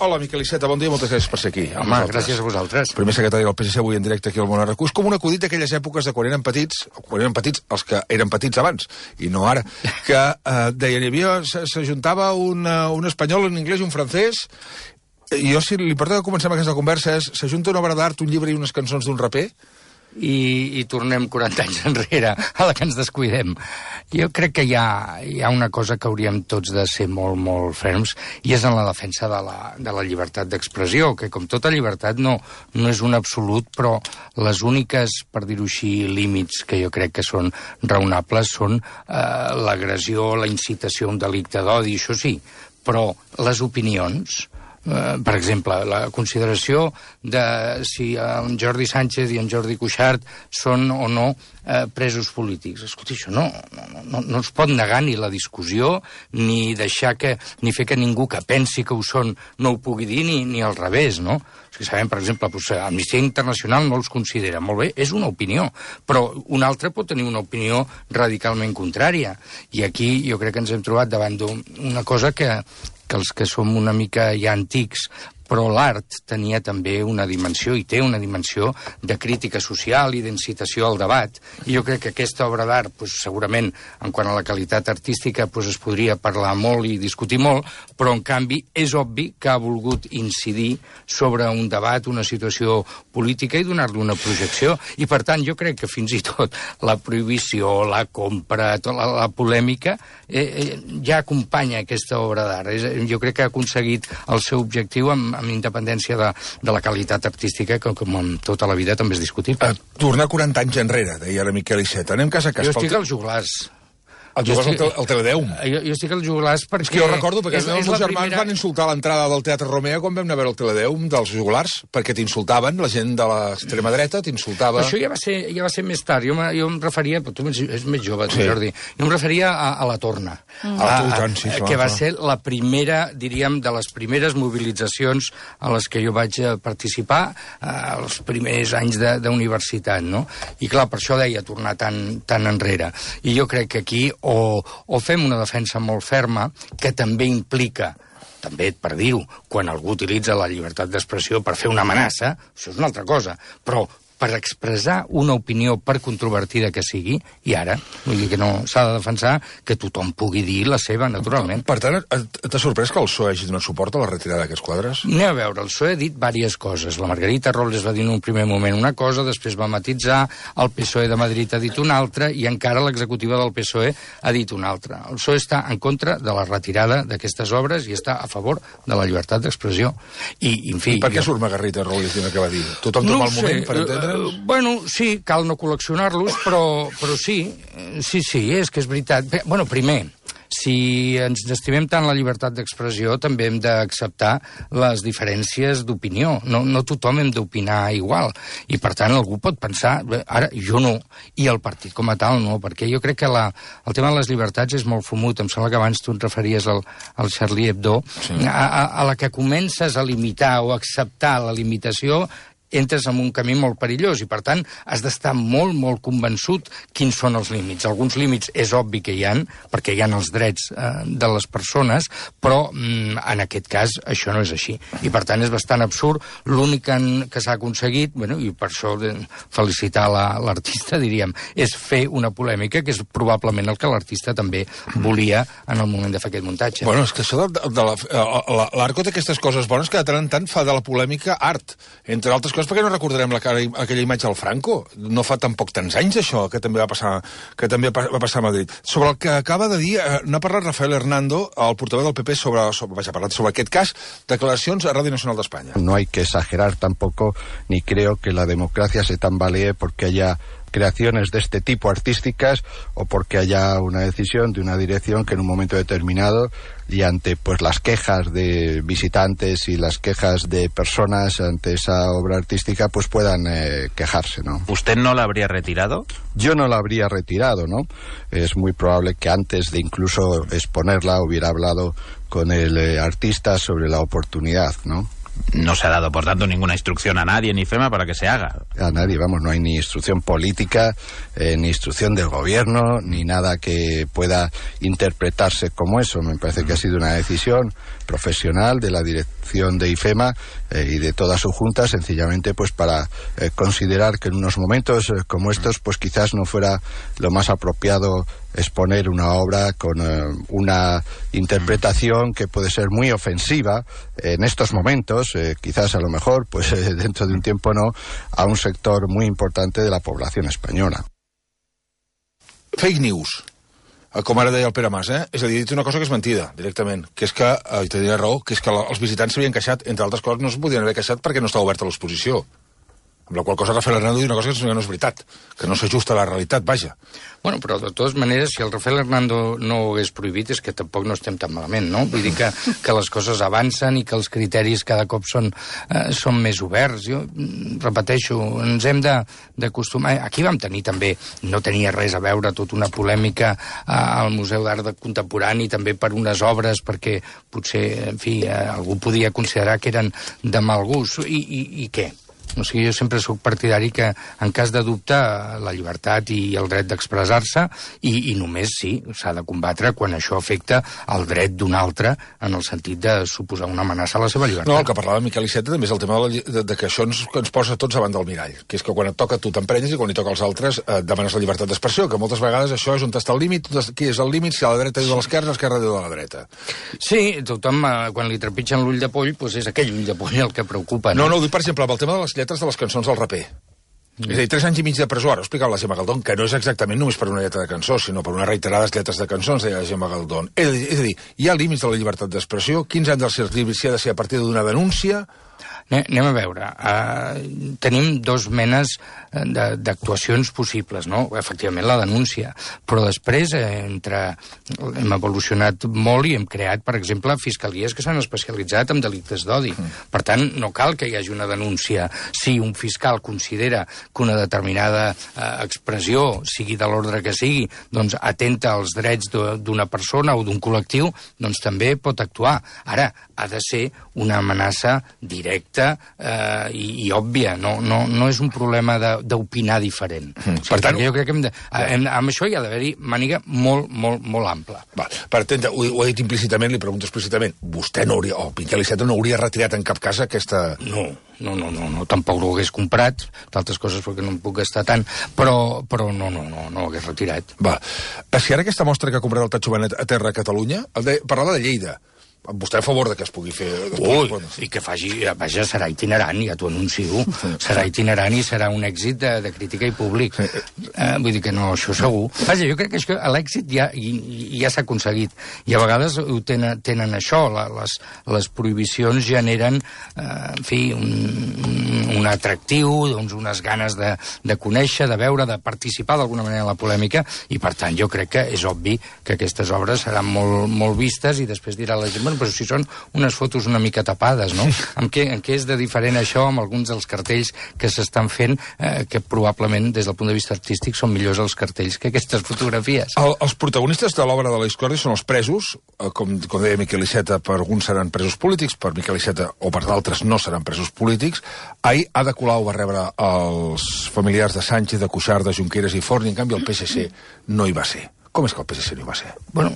Hola, Miquel Iceta, bon dia, moltes gràcies per ser aquí. Home, gràcies a vosaltres. Primer secretari del PSC avui en directe aquí al Món Arracús, com un acudit d'aquelles èpoques de quan eren petits, els que eren petits abans, i no ara, que deien, hi havia, s'ajuntava un espanyol, un anglès i un francès, i jo, si li porto que comencem aquesta conversa, és, s'ajunta una obra d'art, un llibre i unes cançons d'un raper, i tornem 40 anys enrere a la que ens descuidem. Jo crec que hi ha una cosa que hauríem tots de ser molt, molt ferms, i és en la defensa de la llibertat d'expressió, que com tota llibertat no és un absolut, però les úniques, per dir-ho així, límits que jo crec que són raonables són l'agressió, la incitació a un delicte d'odi, això sí, però les opinions... per exemple, la consideració de si en Jordi Sánchez i en Jordi Cuixart són o no presos polítics. Escolta, això no es pot negar ni la discussió, ni deixar ni fer que ningú que pensi que ho són no ho pugui dir, ni al revés, no? Si sabem, per exemple, Amnistia Internacional no els considera. Molt bé, és una opinió, però un altre pot tenir una opinió radicalment contrària. I aquí jo crec que ens hem trobat davant d'una cosa que els que som una mica ja antics, però l'art tenia també una dimensió, i té una dimensió de crítica social i d'incitació al debat. I jo crec que aquesta obra d'art, segurament, en quant a la qualitat artística, es podria parlar molt i discutir molt, però, en canvi, és obvi que ha volgut incidir sobre un debat, una situació política i donar-li una projecció. I, per tant, jo crec que fins i tot la prohibició, la compra, la polèmica, ja acompanya aquesta obra d'art. Jo crec que ha aconseguit el seu objectiu amb independència de la qualitat artística, que com en tota la vida també és discutible. Tornar 40 anys enrere, deia la Miquel Iceta. Anem cas a cas. Jo estic als juglars. El juglars al Teledeum. Jo estic als juglars perquè... És que jo recordo, perquè els meus germans van insultar a l'entrada del Teatre Romea quan vam anar a veure el Teledeum dels juglars, perquè t'insultaven, la gent de l'extrema dreta t'insultava... Això ja va ser més tard. Jo em referia... Tu és més jove, tu, Jordi. Jo em referia a la Torna. Que va ser la primera, diríem, de les primeres mobilitzacions a les que jo vaig participar els primers anys d'universitat, no? I clar, per això deia tornar tan enrere. I jo crec que aquí o fem una defensa molt ferma, que també implica, també per dir-ho, quan algú utilitza la llibertat d'expressió per fer una amenaça, això és una altra cosa, però per expressar una opinió, per controvertida que sigui, i ara, vull dir que no s'ha de defensar que tothom pugui dir la seva, naturalment. Per tant, t'ha sorprès que el PSOE hagi donat suport a la retirada d'aquests quadres? Anem a veure, el PSOE ha dit diverses coses. La Margarita Robles va dir en un primer moment una cosa, després va matitzar, el PSOE de Madrid ha dit una altra, i encara l'executiva del PSOE ha dit una altra. El PSOE està en contra de la retirada d'aquestes obres i està a favor de la llibertat d'expressió. I, en fi... I per què surt Margarita Robles dient el que va dir? Tothom té un mal moment per entendre? Bueno, sí, cal no col·leccionar-los, però sí, és que és veritat. Bueno, primer, si ens estimem tant la llibertat d'expressió, també hem d'acceptar les diferències d'opinió. No tothom hem d'opinar igual. I, per tant, algú pot pensar, ara, jo no, i el partit com a tal no, perquè jo crec que el tema de les llibertats és molt fumut. Em sembla que abans tu et referies al Charlie Hebdo. Sí. A la que comences a limitar o a acceptar la limitació, entres en un camí molt perillós i, per tant, has d'estar molt, molt convençut quins són els límits. Alguns límits és obvi que hi ha, perquè hi ha els drets de les persones, però en aquest cas això no és així. I, per tant, és bastant absurd. L'únic que s'ha aconseguit, i per això felicitar l'artista, diríem, és fer una polèmica, que és probablement el que l'artista també volia en el moment de fer aquest muntatge. Bueno, és que això l'Arco té aquestes coses bones que de tant en tant fa de la polèmica art, entre altres coses, perquè no recordarem aquella imatge del Franco. No fa tampoc tants anys, això, que també va passar a Madrid. Sobre el que acaba de dir, n'ha parlat Rafael Hernando, el portaveu del PP, sobre aquest cas, declaracions a Radio Nacional d'Espanya. No hay que exagerar tampoco, ni creo que la democracia se tambalee porque haya creaciones de este tipo artísticas o porque haya una decisión de una dirección que en un momento determinado y ante las quejas de visitantes y las quejas de personas ante esa obra artística puedan quejarse, ¿no? ¿Usted no la habría retirado? Yo no la habría retirado, ¿no? Es muy probable que antes de incluso exponerla hubiera hablado con el artista sobre la oportunidad, ¿no? No se ha dado, por tanto, ninguna instrucción a nadie, ni FEMA, para que se haga. A nadie, vamos, no hay ni instrucción política, ni instrucción del gobierno, ni nada que pueda interpretarse como eso. Me parece que ha sido una decisión profesional de la dirección de IFEMA y de toda su junta, sencillamente pues para considerar que en unos momentos como estos pues quizás no fuera lo más apropiado exponer una obra con una interpretación que puede ser muy ofensiva en estos momentos, quizás a lo mejor pues dentro de un tiempo no, a un sector muy importante de la población española. Fake news, com ara deia el Pere Mas, És a dir, dit una cosa que és mentida, directament, que és que, i tenia raó, que és que els visitants s'havien queixat, entre altres coses, no es podien haver queixat perquè no estava oberta l'exposició. Amb la qual cosa Rafael Hernando diu una cosa que no és veritat, que no s'ajusta a la realitat, vaja. Bueno, però de totes maneres, si el Rafael Hernando no ho hagués prohibit, és que tampoc no estem tan malament, no? Vull dir que les coses avancen i que els criteris cada cop són més oberts. Jo repeteixo, ens hem d'acostumar... Aquí vam tenir també, no tenia res a veure, tota una polèmica al Museu d'Art Contemporani, també per unes obres, perquè potser, en fi, algú podia considerar que eren de mal gust. I què? O sigui, jo sempre sóc partidari que, en cas de dubte, la llibertat i el dret d'expressar-se, i només, sí, s'ha de combatre quan això afecta el dret d'un altre, en el sentit de suposar una amenaça a la seva llibertat. No, el que parlava Miquel Iceta també és el tema de que això ens posa tots davant del mirall, que és que quan et toca tu t'emprenyes i quan li toca als altres demanes la llibertat d'expressió, que moltes vegades això és on està el límit, qui és el límit, si a la dreta diu de l'esquerra diu de la dreta. Sí, tothom, quan li trepitgen l'ull de poll, doncs és aquell ull de poll el que preocupa. No, ho dic, per exemple, amb el tema de les lletres de les cançons del raper. És a dir, 3 anys i mig de presó, ara ho explicava la Gemma Galdón, que no és exactament només per una lletra de cançó, sinó per unes reiterades lletres de cançons, deia la Gemma Galdón. És a dir, hi ha límits de la llibertat d'expressió, quins han de ser els límits, si ha de ser a partir d'una denúncia... Anem a veure. Tenim dos menes d'actuacions possibles, no? Efectivament, la denúncia. Però després hem evolucionat molt i hem creat, per exemple, fiscalies que s'han especialitzat en delictes d'odi. Per tant, no cal que hi hagi una denúncia. Si un fiscal considera que una determinada expressió, sigui de l'ordre que sigui, doncs atenta als drets d'una persona o d'un col·lectiu, doncs també pot actuar. Ara, ha de ser una amenaça directa i òbvia, no és un problema d'opinar diferent. Per tant, jo crec que amb això hi ha d'haver-hi màniga molt, molt, molt ampla. Per entendre, ho he dit implícitament, li pregunto explícitament, vostè no hauria, o Miquel Iceta no hauria retirat en cap cas aquesta... No, tampoc ho hagués comprat, d'altres coses perquè no em puc gastar tant, però no ho hagués retirat. Si ara aquesta mostra que ha comprat el Tatxo Benet a terra a Catalunya, parlava de Lleida, vostè a favor que es pugui fer... I que faci... Vaja, serà itinerant, ja t'ho anuncio. Serà itinerant i serà un èxit de crítica i públic. Vull dir que no, això segur. Vaja, jo crec que l'èxit ja s'ha aconseguit. I a vegades ho tenen això. Les prohibicions generen, en fi, un atractiu, doncs unes ganes de conèixer, de veure, de participar d'alguna manera en la polèmica, i per tant jo crec que és obvi que aquestes obres seran molt vistes i després dirà la gent, però si són unes fotos una mica tapades, no? En què és de diferent això amb alguns dels cartells que s'estan fent, que probablement, des del punt de vista artístic, són millors els cartells que aquestes fotografies? Els protagonistes de l'obra de la discòrdia són els presos, com deia Miquel Iceta, per alguns seran presos polítics, per Miquel Iceta o per d'altres no seran presos polítics. Ahir Ada Colau va rebre els familiars de Sánchez, de Cuixart, de Junqueras i Forn, i en canvi el PSC no hi va ser. Com és que el PSC no hi va ser? Bueno,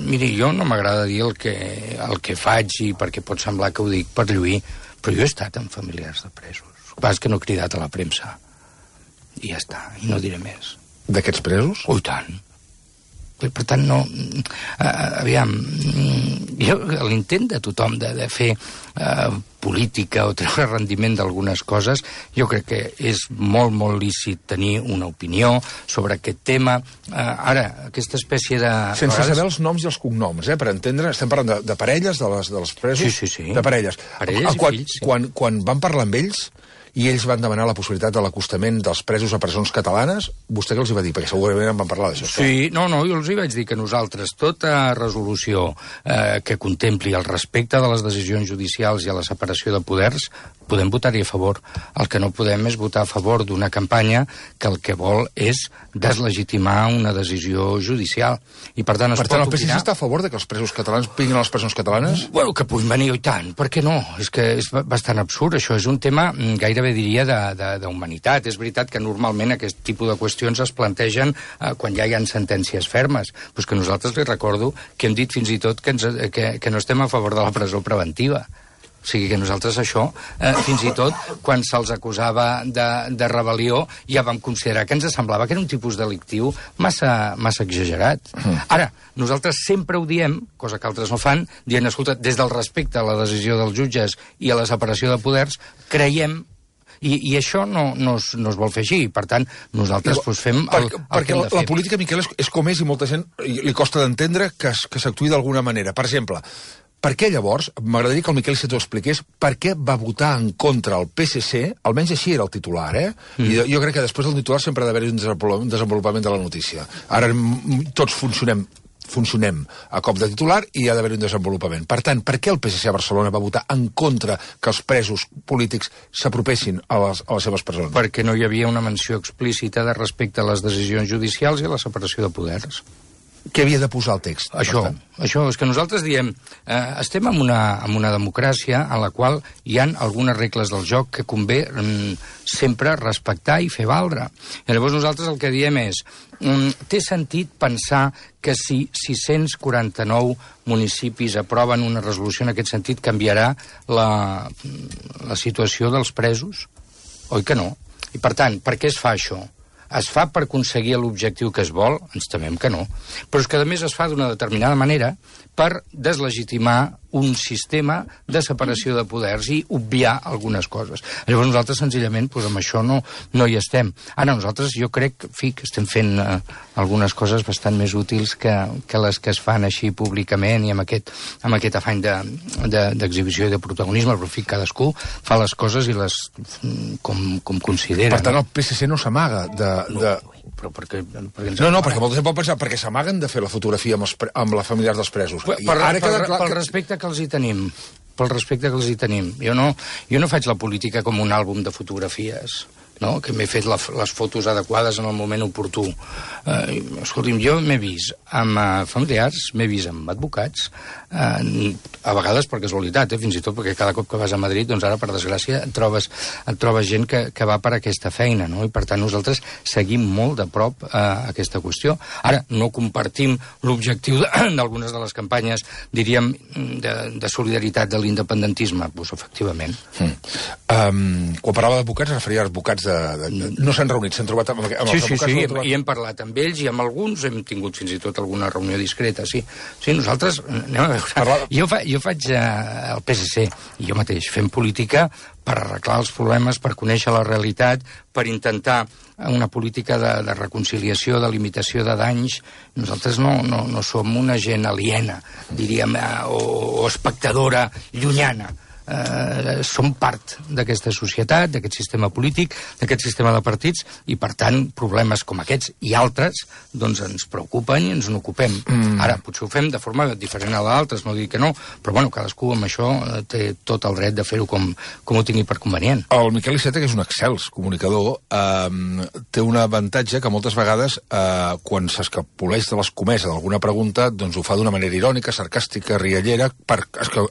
miri, jo no m'agrada dir el que faig, i perquè pot semblar que ho dic per lluir, però jo he estat amb familiars de presos. El que passa és que no he cridat a la premsa. I ja està, i no diré més. D'aquests presos? Oh, i tant. Per tant, no... Aviam, l'intent de tothom de fer política o treure rendiment d'algunes coses, jo crec que és molt, molt lícit tenir una opinió sobre aquest tema. Ara, aquesta espècie de... Sense saber els noms i els cognoms, per entendre, estem parlant de parelles, dels presos? Sí. De parelles. Parelles i fills, sí. Quan van parlar amb ells i ells van demanar la possibilitat de l'acostament dels presos a presons catalanes, vostè què els va dir? Perquè segurament en van parlar d'això. Sí, no, jo els hi vaig dir que nosaltres, tota resolució que contempli el respecte de les decisions judicials i a la separació separació de poders, podem votar-hi a favor. El que no podem és votar a favor d'una campanya que el que vol és deslegitimar una decisió judicial. I per tant, el PSC està a favor de que els presos catalans vinguin a les presons catalanes? Bueno, que puguin venir, i tant. Per què no? És que és bastant absurd. Això és un tema, gairebé diria, d'humanitat. És veritat que normalment aquest tipus de qüestions es plantegen quan ja hi ha sentències fermes. Però és que nosaltres li recordo que hem dit fins i tot que no estem a favor de la presó preventiva. O sigui que nosaltres això, fins i tot, quan se'ls acusava de rebel·lió, ja vam considerar que ens semblava que era un tipus delictiu massa exagerat. Ara, nosaltres sempre ho diem, cosa que altres no fan, dient, escolta, des del respecte a la decisió dels jutges i a la separació de poders, creiem i això no es vol fer així. Per tant, nosaltres fem el que hem de fer. Perquè la política, Miquel, és com és i molta gent li costa d'entendre que s'actuï d'alguna manera. Per exemple, per què llavors, m'agradaria que el Miquel Iceta ho expliqués, per què va votar en contra el PSC, almenys així era el titular, I jo crec que després del titular sempre ha d'haver-hi un desenvolupament de la notícia. Ara tots funcionem a cop de titular i ha d'haver-hi un desenvolupament. Per tant, per què el PSC a Barcelona va votar en contra que els presos polítics s'apropessin a les seves presons? Perquè no hi havia una menció explícita de respecte a les decisions judicials i a la separació de poders. Què havia de posar el text? Això, és que nosaltres diem, estem en una democràcia en la qual hi han algunes regles del joc que convé sempre respectar i fer valdre. I llavors nosaltres el que diem és, té sentit pensar que si 649 municipis aproven una resolució en aquest sentit canviarà la situació dels presos? Oi que no? I per tant, per què es fa això? Es fa per aconseguir l'objectiu que es vol? Ens temem que no. Però és que, a més, es fa d'una determinada manera per deslegitimar un sistema de separació de poders i obviar algunes coses. Llavors nosaltres, senzillament, amb això no hi estem. Ara, nosaltres, jo crec, que estem fent algunes coses bastant més útils que les que es fan així públicament i amb aquest afany d'exhibició i de protagonisme, però, cadascú fa les coses i les com considera. Per tant, el PSC no s'amaga però perquè perquè molta gent pot pensar perquè s'amaguen de fer la fotografia amb la familiars dels presos. Pel respecte que els hi tenim. Pel respecte que els hi tenim. Jo no faig la política com un àlbum de fotografies, no? Que m'he fet les fotos adequades en el moment oportú. Escolti'm, jo m'he vist amb familiars, m'he vist amb advocats, a vegades per casualitat, fins i tot perquè cada cop que vas a Madrid, doncs ara, per desgràcia, et trobes gent que va per aquesta feina, no? I per tant nosaltres seguim molt de prop aquesta qüestió. Ara, no compartim l'objectiu d'algunes de les campanyes, diríem, de solidaritat de l'independentisme. Doncs, efectivament. Quan parlava d'advocats, es referia a advocats no s'han reunit, s'han trobat amb els advocats? Sí, i hem parlat amb ells i amb alguns hem tingut fins i tot alguna reunió discreta, sí. Sí, nosaltres, anem a veure, jo faig el PSC i jo mateix fem política per arreglar els problemes, per conèixer la realitat, per intentar una política de reconciliació, de limitació de danys. Nosaltres no som una gent aliena, diríem, o espectadora llunyana. Som part d'aquesta societat, d'aquest sistema polític, d'aquest sistema de partits, i per tant problemes com aquests i altres doncs ens preocupen i ens n'ocupem. Ara, potser ho fem de forma diferent a d'altres, no dic que no, però bueno, cadascú amb això té tot el dret de fer-ho com ho tingui per convenient. El Miquel Iceta, que és un excels comunicador, té un avantatge que moltes vegades quan s'escapoleix de l'escomesa d'alguna pregunta, doncs ho fa d'una manera irònica, sarcàstica, riallera, per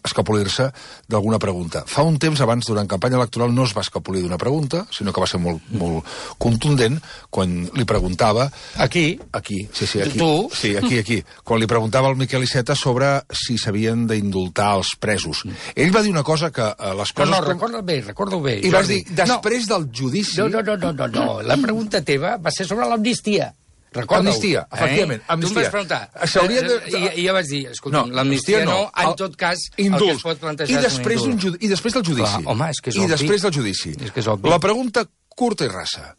escapolir-se d'alguna pregunta. Fa un temps abans, durant campanya electoral, no es va escapolir d'una pregunta, sinó que va ser molt contundent quan li preguntava... Aquí? Sí, aquí. Tu? Sí, aquí. Quan li preguntava al Miquel Iceta sobre si s'havien d'indultar els presos. Ell va dir una cosa que les coses... No, recorda-ho bé. I vas dir, després del judici... No. La pregunta teva va ser sobre l'amnistia. Amnistia, efectivament. Tu em vas preguntar. I jo vaig dir, escolta'm, l'amnistia no, en tot cas, el que es pot plantejar és un indult. I després del judici. Home, és que és obvi. I després del judici. És que és obvi. La pregunta curta i rasa.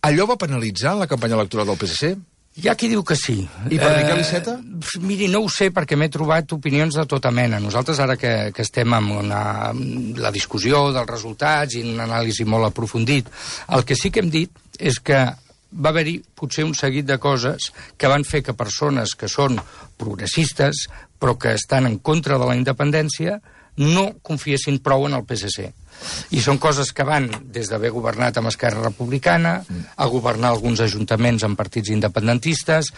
Allò va penalitzar la campanya electoral del PSC? Hi ha qui diu que sí. I per Miquel Iceta? Miri, no ho sé, perquè m'he trobat opinions de tota mena. Nosaltres, ara que estem amb la discussió dels resultats i una anàlisi molt aprofundit, el que sí que hem dit és que va haver-hi potser un seguit de coses que van fer que persones que són progressistes però que estan en contra de la independència no confiessin prou en el PSC. I són coses que van des d'haver governat amb Esquerra Republicana, a governar alguns ajuntaments amb partits independentistes,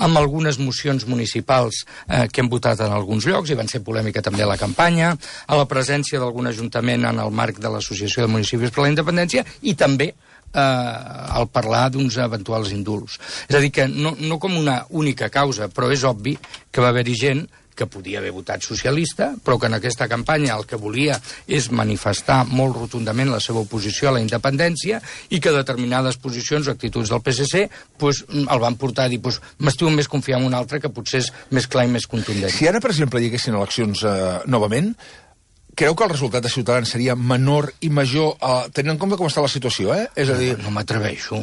amb algunes mocions municipals que hem votat en alguns llocs, i van ser polèmica també a la campanya, a la presència d'algun ajuntament en el marc de l'Associació de Municipis per la Independència, i també al parlar d'uns eventuals indults. És a dir, que no com una única causa, però és obvi que va haver-hi gent que podia haver votat socialista, però que en aquesta campanya el que volia és manifestar molt rotundament la seva oposició a la independència i que determinades posicions o actituds del PSC el van portar a dir m'estimo més confiar en un altre que potser és més clar i més contundent. Si ara, per exemple, hi haguessin eleccions novament, creu que el resultat de Ciutadans seria menor i major, tenint en compte com està la situació, És a dir... No m'atreveixo.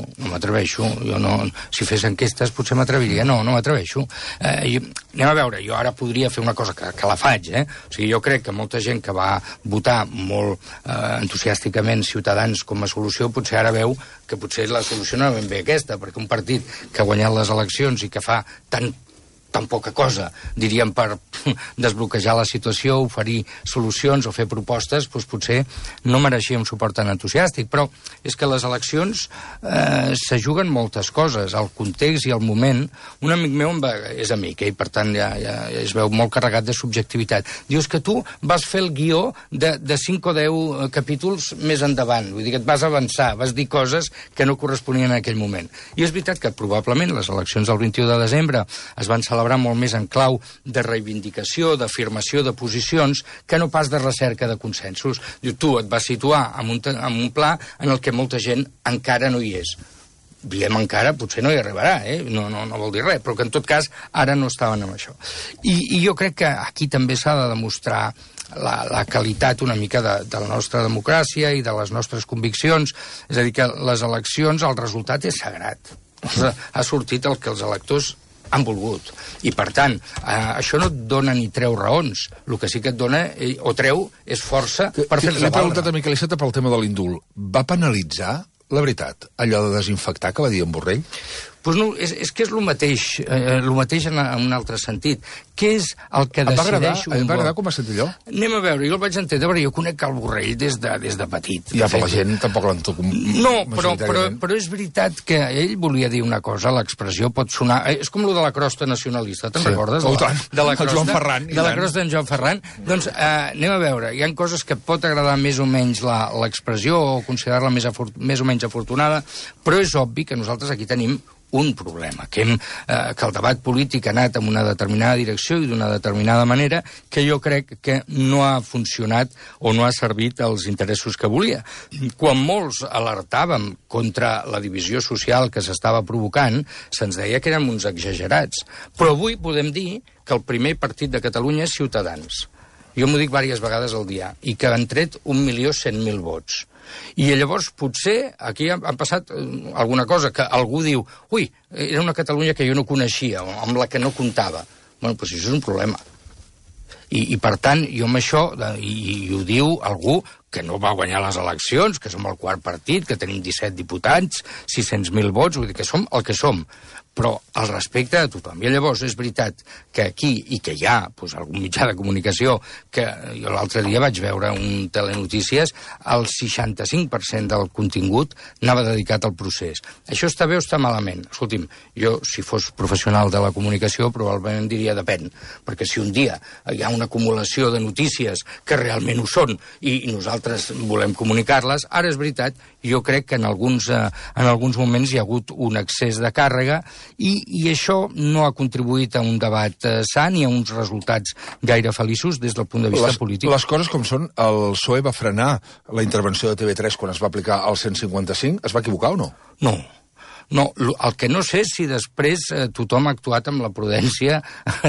Jo no... Si fes enquestes potser m'atreviria. No m'atreveixo. Anem a veure, jo ara podria fer una cosa que la faig, O sigui, jo crec que molta gent que va votar molt entusiàsticament Ciutadans com a solució, potser ara veu que potser la solució no és ben bé aquesta, perquè un partit que ha guanyat les eleccions i que fa tan poca cosa, diríem, per desbloquejar la situació, oferir solucions o fer propostes, potser no mereixia un suport tan entusiàstic. Però és que les eleccions se juguen moltes coses, el context i el moment. Un amic meu és amic, i per tant ja es veu molt carregat de subjectivitat. Dius que tu vas fer el guió de 5 o 10 capítols més endavant, vull dir que et vas avançar, vas dir coses que no corresponien en aquell moment. I és veritat que probablement les eleccions del 21 de desembre es van celebrar molt més en clau de reivindicació, d'afirmació de posicions, que no pas de recerca de consensos. Tu et vas situar en un pla en el que molta gent encara no hi és. Diem encara, potser no hi arribarà, no vol dir res, però que en tot cas ara no estaven amb això. I jo crec que aquí també s'ha de demostrar la qualitat una mica de la nostra democràcia i de les nostres conviccions. És a dir, que les eleccions, el resultat és sagrat. Ha sortit el que els electors han volgut. I, per tant, això no et dona ni treu raons. El que sí que et dona, o treu, és força per fer-se valdre. L'he preguntat a Miquel Iceta pel tema de l'indult. Va penalitzar, la veritat, allò de desinfectar que va dir en Borrell? Doncs no, és que és el mateix en un altre sentit. Què és el que decideix un vot? Em va agradar com va sentir allò? Anem a veure, jo el vaig entendre, perquè jo conec el Borrell des de petit. Ja, però la gent tampoc l'entoc. No, però és veritat que ell volia dir una cosa, l'expressió pot sonar... És com lo de la crosta nacionalista, te'n recordes? De la crosta Joan Ferran. De la crosta d'en Joan Ferran. Doncs anem a veure, hi ha coses que pot agradar més o menys l'expressió o considerar-la més o menys afortunada, però és obvi que nosaltres aquí tenim un problema, que el debat polític ha anat en una determinada direcció i d'una determinada manera que jo crec que no ha funcionat o no ha servit als interessos que volia. Quan molts alertàvem contra la divisió social que s'estava provocant, se'ns deia que érem uns exagerats. Però avui podem dir que el primer partit de Catalunya és Ciutadans. Jo m'ho dic diverses vegades al dia, i que han tret 1.100.000 vots. I llavors potser aquí han passat alguna cosa que algú diu era una Catalunya que jo no coneixia o amb la que no comptava. Bueno, doncs això és un problema. I per tant, jo amb això, i ho diu algú que no va guanyar les eleccions, que som el quart partit, que tenim 17 diputats, 600.000 vots, vull dir que som el que som, però al respecte de tothom. I llavors és veritat que aquí, i que hi ha algun mitjà de comunicació, que jo l'altre dia vaig veure un telenotícies, el 65% del contingut anava dedicat al procés. Això està bé o està malament? Escolti'm, jo, si fos professional de la comunicació, probablement diria depèn, perquè si un dia hi ha una acumulació de notícies que realment ho són, i nosaltres volem comunicar-les, ara és veritat, jo crec que en alguns moments hi ha hagut un excés de càrrega i això no ha contribuït a un debat sa ni a uns resultats gaire feliços des del punt de vista polític. Les coses com són, el PSOE va frenar la intervenció de TV3 quan es va aplicar el 155. Es va equivocar o no? No, el que no sé és si després tothom ha actuat amb la prudència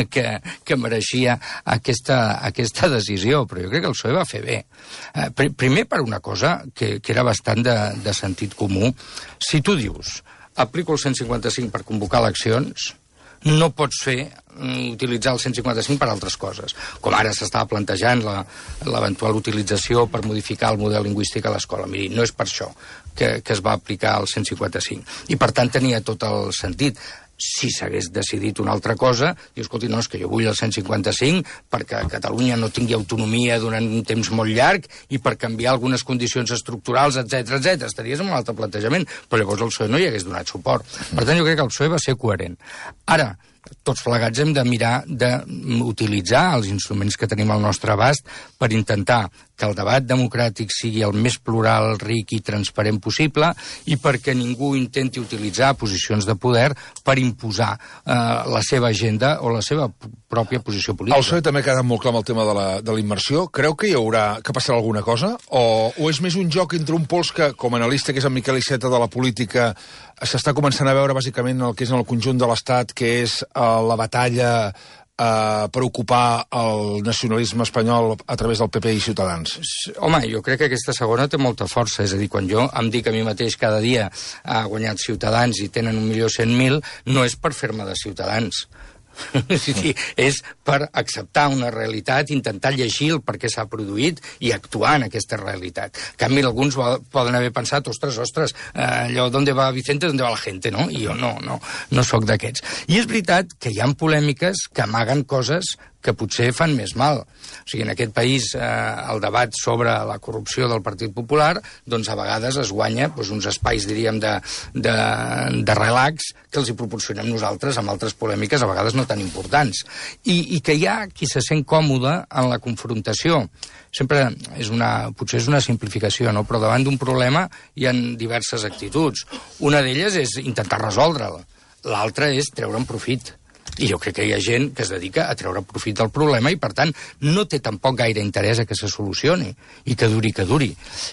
que mereixia aquesta decisió, però jo crec que el PSOE va fer bé. Primer per una cosa que era bastant de sentit comú. Si tu dius, aplico el 155 per convocar eleccions, no pots utilitzar el 155 per altres coses, com ara s'estava plantejant l'eventual utilització per modificar el model lingüístic a l'escola. Miri, no és per això que es va aplicar el 155. I, per tant, tenia tot el sentit. si s'hagués decidit una altra cosa, diu, escolti, no, és que jo vull el 155 perquè Catalunya no tingui autonomia durant un temps molt llarg i per canviar algunes condicions estructurals, etc. Estaries en un altre plantejament, però llavors el PSOE no hi hagués donat suport. Per tant, jo crec que el PSOE va ser coherent. Ara, tots plegats hem de mirar d'utilitzar els instruments que tenim al nostre abast per intentar que el debat democràtic sigui el més plural, ric i transparent possible i perquè ningú intenti utilitzar posicions de poder per imposar la seva agenda o la seva pròpia posició política. El PSOE també ha quedat molt clar amb el tema de la immersió. Creu que que passarà alguna cosa? O és més un joc entre un pols que, com a analista, que és en Miquel Iceta de la política, s'està començant a veure bàsicament el que és en el conjunt de l'Estat, que és la batalla per ocupar el nacionalisme espanyol a través del PP i Ciutadans? Home, jo crec que aquesta segona té molta força. És a dir, quan jo em dic a mi mateix cada dia ha guanyat Ciutadans i tenen 1.100.000, no és per fer-me de Ciutadans. És per acceptar una realitat, intentar llegir el per què s'ha produït i actuar en aquesta realitat. En canvi, alguns poden haver pensat, ostres, allò, ¿dónde va Vicente, dónde va la gente, no? I jo no sóc d'aquests. I és veritat que hi ha polèmiques que amaguen coses que potser fan més mal. O sigui, en aquest país el debat sobre la corrupció del Partit Popular, doncs a vegades es guanya uns espais, diríem, de relax que els hi proporcionem nosaltres amb altres polèmiques, a vegades no tan importants. I que hi ha qui se sent còmode en la confrontació. Sempre potser és una simplificació, no? Però davant d'un problema hi ha diverses actituds. Una d'elles és intentar resoldre'l. L'altra és treure'n profit. I jo crec que hi ha gent que es dedica a treure profit del problema i, per tant, no té tampoc gaire interès a que se solucioni i que duri.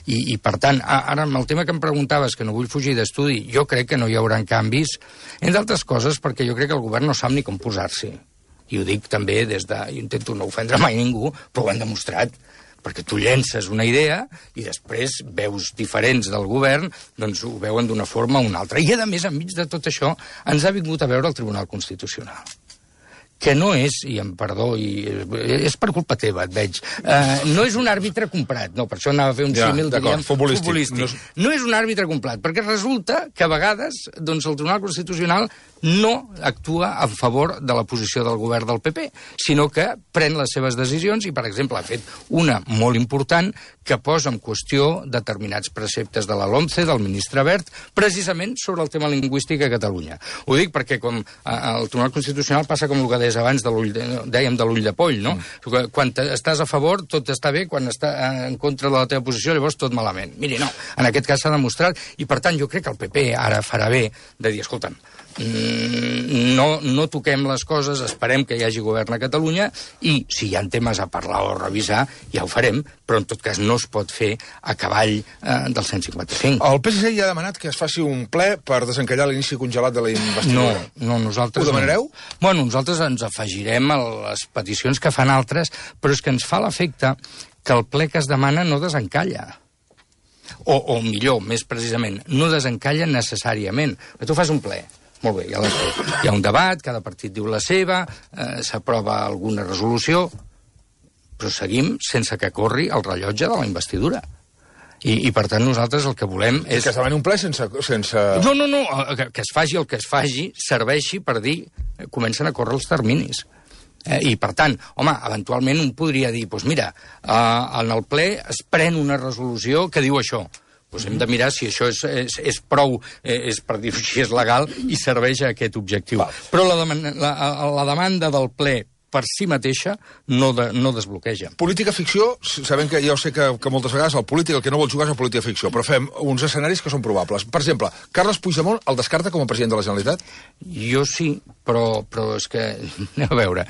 I per tant, ara amb el tema que em preguntaves, que no vull fugir d'estudi, jo crec que no hi haurà canvis, entre altres coses perquè jo crec que el govern no sap ni com posar-s'hi. I ho dic també des de... Jo intento no ofendre mai ningú, però ho han demostrat. Perquè tu llences una idea i després veus diferents del govern, doncs ho veuen d'una forma o una altra. I, a més, enmig de tot això, ens ha vingut a veure el Tribunal Constitucional. Que no és, i em perdó, és per culpa teva, et veig, no és un àrbitre comprat, no, per això anava a fer un símil, diríem, futbolístic. No és un àrbitre comprat, perquè resulta que a vegades doncs, el Tribunal Constitucional no actua a favor de la posició del govern del PP, sinó que pren les seves decisions i, per exemple, ha fet una molt important que posa en qüestió determinats preceptes de la LOMCE, del ministre Wert, precisament sobre el tema lingüístic a Catalunya. Ho dic perquè com el Tribunal Constitucional passa com el que deies abans, dèiem de l'ull de poll, no? Quan estàs a favor tot està bé, quan estàs en contra de la teva posició llavors tot malament. Miri, no, en aquest cas s'ha demostrat i per tant jo crec que el PP ara farà bé de dir, escolta'm, no toquem les coses, esperem que hi hagi govern a Catalunya i si hi ha temes a parlar o a revisar ja ho farem, però en tot cas no es pot fer a cavall del 155. El PSC ja ha demanat que es faci un ple per desencallar l'inici congelat de la investidura. No, nosaltres... Ho demanareu? Bueno, nosaltres ens afegirem a les peticions que fan altres, però és que ens fa l'efecte que el ple que es demana no desencalla. O millor, més precisament, no desencalla necessàriament. Tu fas un ple. Molt bé, hi ha un debat, cada partit diu la seva, s'aprova alguna resolució, però seguim sense que corri el rellotge de la investidura. I per tant, nosaltres el que volem és... Que es demani un ple sense... No, que es faci el que es faci, serveixi per dir, comencen a córrer els terminis. I, per tant, home, eventualment un podria dir, doncs mira, en el ple es pren una resolució que diu això. Doncs hem de mirar si això és prou, per dir-ho així, és legal i serveix a aquest objectiu. Però la demanda del ple per si mateixa no desbloqueja. Política ficció, sabem que ja ho sé que moltes vegades el polític el que no vol jugar és la política ficció, però fem uns escenaris que són probables. Per exemple, Carles Puigdemont el descarta com a president de la Generalitat? Jo sí, però és que, a veure,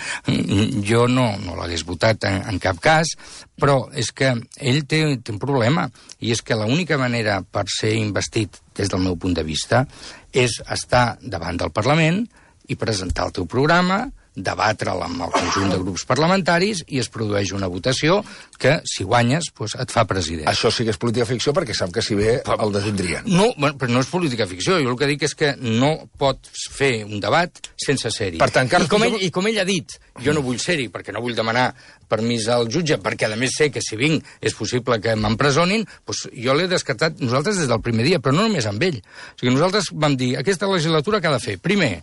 jo no l'hagués votat en cap cas, però és que ell té un problema, i és que l'única manera per ser investit, des del meu punt de vista, és estar davant del Parlament i presentar el teu programa, debatre'l amb el conjunt de grups parlamentaris i es produeix una votació que, si guanyes, doncs et fa president. Això sí que és política ficció perquè sap que si bé el detindrien. No, però no és política ficció. Jo el que dic és que no pots fer un debat sense ser-hi. Per tant, I com ell ha dit, jo no vull ser-hi perquè no vull demanar permís al jutge, perquè a més sé que si vinc és possible que m'empresonin, doncs jo l'he descartat nosaltres des del primer dia, però no només amb ell. O sigui, nosaltres vam dir, aquesta legislatura què ha de fer? Primer,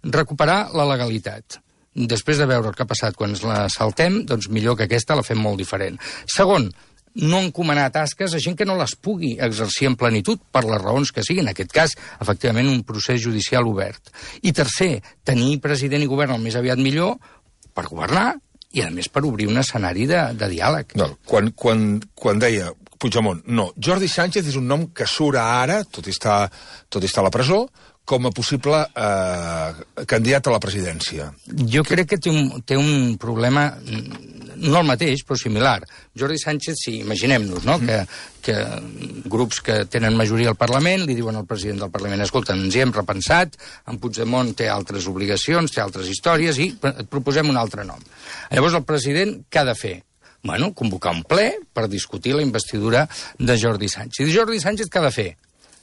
recuperar la legalitat. Després de veure el que ha passat quan ens la saltem, doncs millor que aquesta la fem molt diferent. Segon, no encomanar tasques a gent que no les pugui exercir en plenitud per les raons que siguin. En aquest cas, efectivament, un procés judicial obert. I tercer, tenir president i govern el més aviat millor per governar i, a més, per obrir un escenari de diàleg. No, quan deia Puigdemont, no, Jordi Sánchez és un nom que surt ara, tot i estar a la presó, com a possible candidat a la presidència. Jo crec que té un problema, no el mateix, però similar. Jordi Sánchez, si imaginem-nos, no?, que grups que tenen majoria al Parlament li diuen al president del Parlament, escolta, ens hi hem repensat, en Puigdemont té altres obligacions, té altres històries i et proposem un altre nom. Llavors el president què ha de fer? Bueno, convocar un ple per discutir la investidura de Jordi Sánchez. I Jordi Sánchez què ha de fer?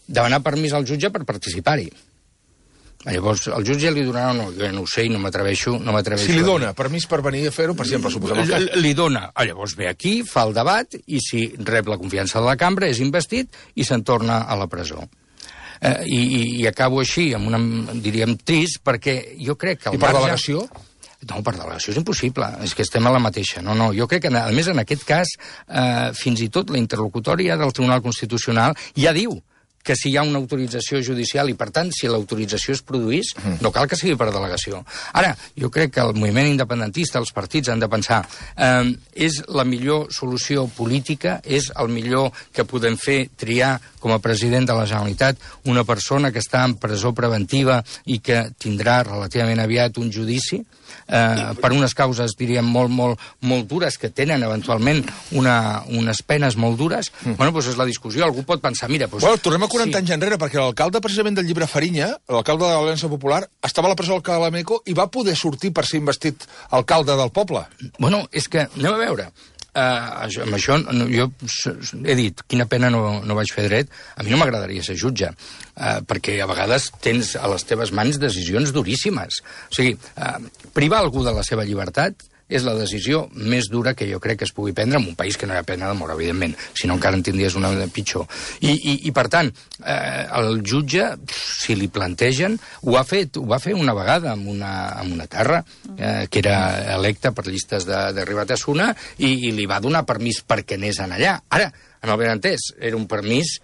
Demanar permís al jutge per participar-hi. Llavors, el jutge li donarà o no? Jo no ho sé i no m'atreveixo. Si li dona permís per venir a fer-ho, per exemple, suposem el cas. Li dona. Llavors ve aquí, fa el debat, i si rep la confiança de la cambra, és investit i se'n torna a la presó. I acabo així, amb una, diríem, trist, perquè jo crec que... I per delegació? No, per delegació és impossible, és que estem a la mateixa. No, jo crec que, a més, en aquest cas, fins i tot la interlocutòria del Tribunal Constitucional ja diu que si hi ha una autorització judicial i, per tant, si l'autorització es produís, no cal que sigui per delegació. Ara, jo crec que el moviment independentista, els partits han de pensar, és la millor solució política, és el millor que podem fer triar com a president de la Generalitat una persona que està en presó preventiva i que tindrà relativament aviat un judici per unes causes, diríem, molt dures, que tenen eventualment unes penes molt dures. Bueno, doncs és la discussió. Algú pot pensar, mira... Bueno, tornem a 40 anys enrere, perquè l'alcalde precisament del Llibre Farinya, l'alcalde de l'Aliança Popular, estava a la presó del Calameco i va poder sortir per ser investit alcalde del poble. Bueno, és que, anem a veure, amb això jo he dit, quina pena no vaig fer dret. A mi no m'agradaria ser jutge, perquè a vegades tens a les teves mans decisions duríssimes. O sigui, privar algú de la seva llibertat és la decisió més dura que jo crec que es pugui prendre en un país que no hi ha pena de mort, evidentment, si no encara en tindries una pitjor. I per tant, el jutge, si li plantegen, ho va fer una vegada amb una terra que era electa per llistes de Ribatasuna i li va donar permís perquè anés allà. Ara, en el benentès, era un permís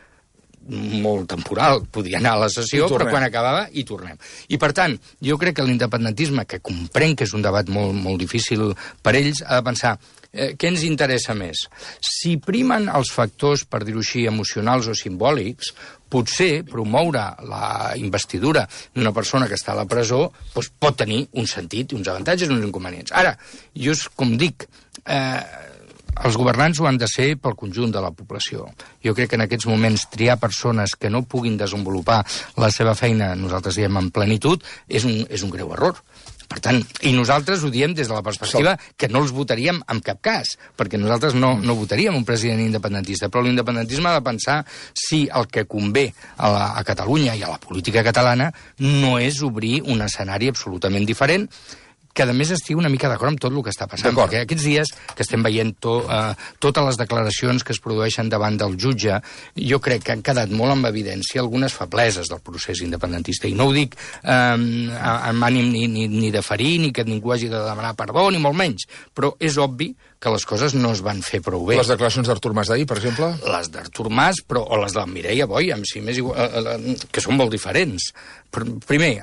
molt temporal, podia anar a la sessió, però quan acabava hi tornem. I per tant, jo crec que l'independentisme, que comprenc que és un debat molt difícil per ells, ha de pensar què ens interessa més. Si primen els factors, per dir-ho així, emocionals o simbòlics, potser promoure la investidura d'una persona que està a la presó doncs pot tenir un sentit, uns avantatges i uns inconvenients. Ara, jo, com dic, els governants ho han de ser pel conjunt de la població. Jo crec que en aquests moments triar persones que no puguin desenvolupar la seva feina, nosaltres diem en plenitud, és un greu error. Per tant, i nosaltres ho diem des de la perspectiva que no els votaríem en cap cas, perquè nosaltres no votaríem un president independentista, però l'independentisme ha de pensar si el que convé a Catalunya i a la política catalana no és obrir un escenari absolutament diferent, que a més estigui una mica d'acord amb tot el que està passant. Perquè aquests dies que estem veient totes les declaracions que es produeixen davant del jutge, jo crec que han quedat molt en evidència algunes febleses del procés independentista. I no ho dic amb ànim ni de ferir, ni que ningú hagi de demanar perdó, ni molt menys. Però és obvi que les coses no es van fer prou bé. Les declaracions d'Artur Mas d'ahir, per exemple? Les d'Artur Mas, o les de la Mireia Boy, que són molt diferents. Primer,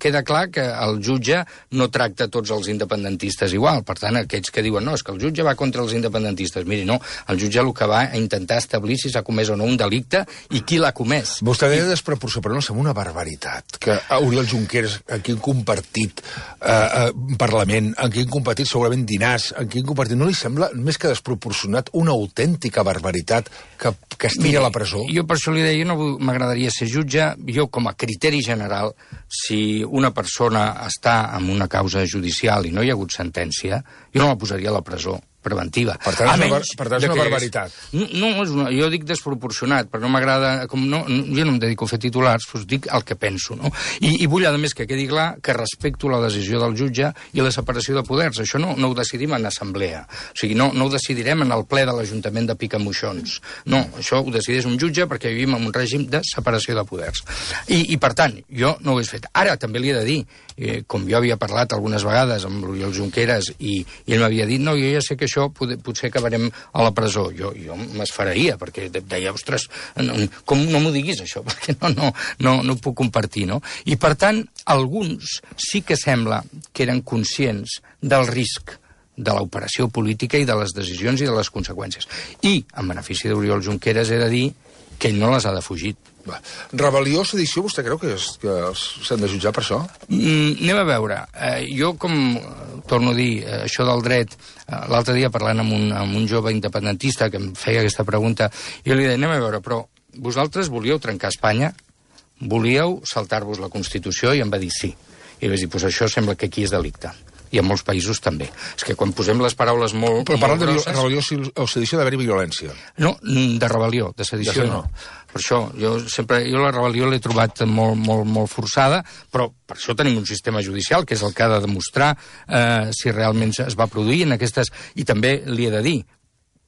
queda clar que el jutge no tracta tots els independentistes igual. Per tant, aquells que diuen, no, és que el jutge va contra els independentistes. Miri, no, el jutge el que va a intentar establir si s'ha comès o no un delicte i qui l'ha comès. Vostè deia desproporció, però no sembla una barbaritat que Oriol Junqueras, en quin compartit Parlament, en quin compartit segurament dinars, en quin compartit... No li sembla més que desproporcionat una autèntica barbaritat que estigui a la presó? Jo per això li deia, no m'agradaria ser jutge. Jo, com a criteri general, si una persona està en una causa judicial i no hi ha hagut sentència, jo no la posaria a la presó. preventiva. Per tant, és una barbaritat. No, jo dic desproporcionat, però no m'agrada... Jo no em dedico a fer titulars, doncs dic el que penso, no? I vull, a més, que quedi clar que respecto la decisió del jutge i la separació de poders. Això no ho decidim en assemblea. O sigui, no ho decidirem en el ple de l'Ajuntament de Picamoixons. No, això ho decideix un jutge perquè vivim en un règim de separació de poders. I per tant, jo no ho he fet. Ara, també li he de dir, com jo havia parlat algunes vegades amb l'Oriol Junqueras i ell m'havia dit, no, jo ja sé que això potser acabarem a la presó. Jo m'esferaria, perquè deia, ostres, com no m'ho diguis això, perquè no ho puc compartir, no? I per tant, alguns sí que sembla que eren conscients del risc de l'operació política i de les decisions i de les conseqüències. I, en benefici d'Oriol Junqueras, he de dir que ell no les ha defugit. Rebel·lió, sedició, vostè creu que s'han de jutjar per això? Anem a veure. Jo, com torno a dir, això del dret, l'altre dia parlant amb un jove independentista que em feia aquesta pregunta, jo li deia, anem a veure, però vosaltres volíeu trencar Espanya? Volíeu saltar-vos la Constitució? I em va dir sí. I li vaig dir, doncs això sembla que aquí és delicte. I en molts països també. És que quan posem les paraules molt grosses... Però parlant de rebel·lió o sedició d'haver-hi violència. No, de rebel·lió, de sedició no. Per això, jo la rebel·lió l'he trobat molt forçada, però per això tenim un sistema judicial, que és el que ha de demostrar si realment es va produir en aquestes... I també li he de dir,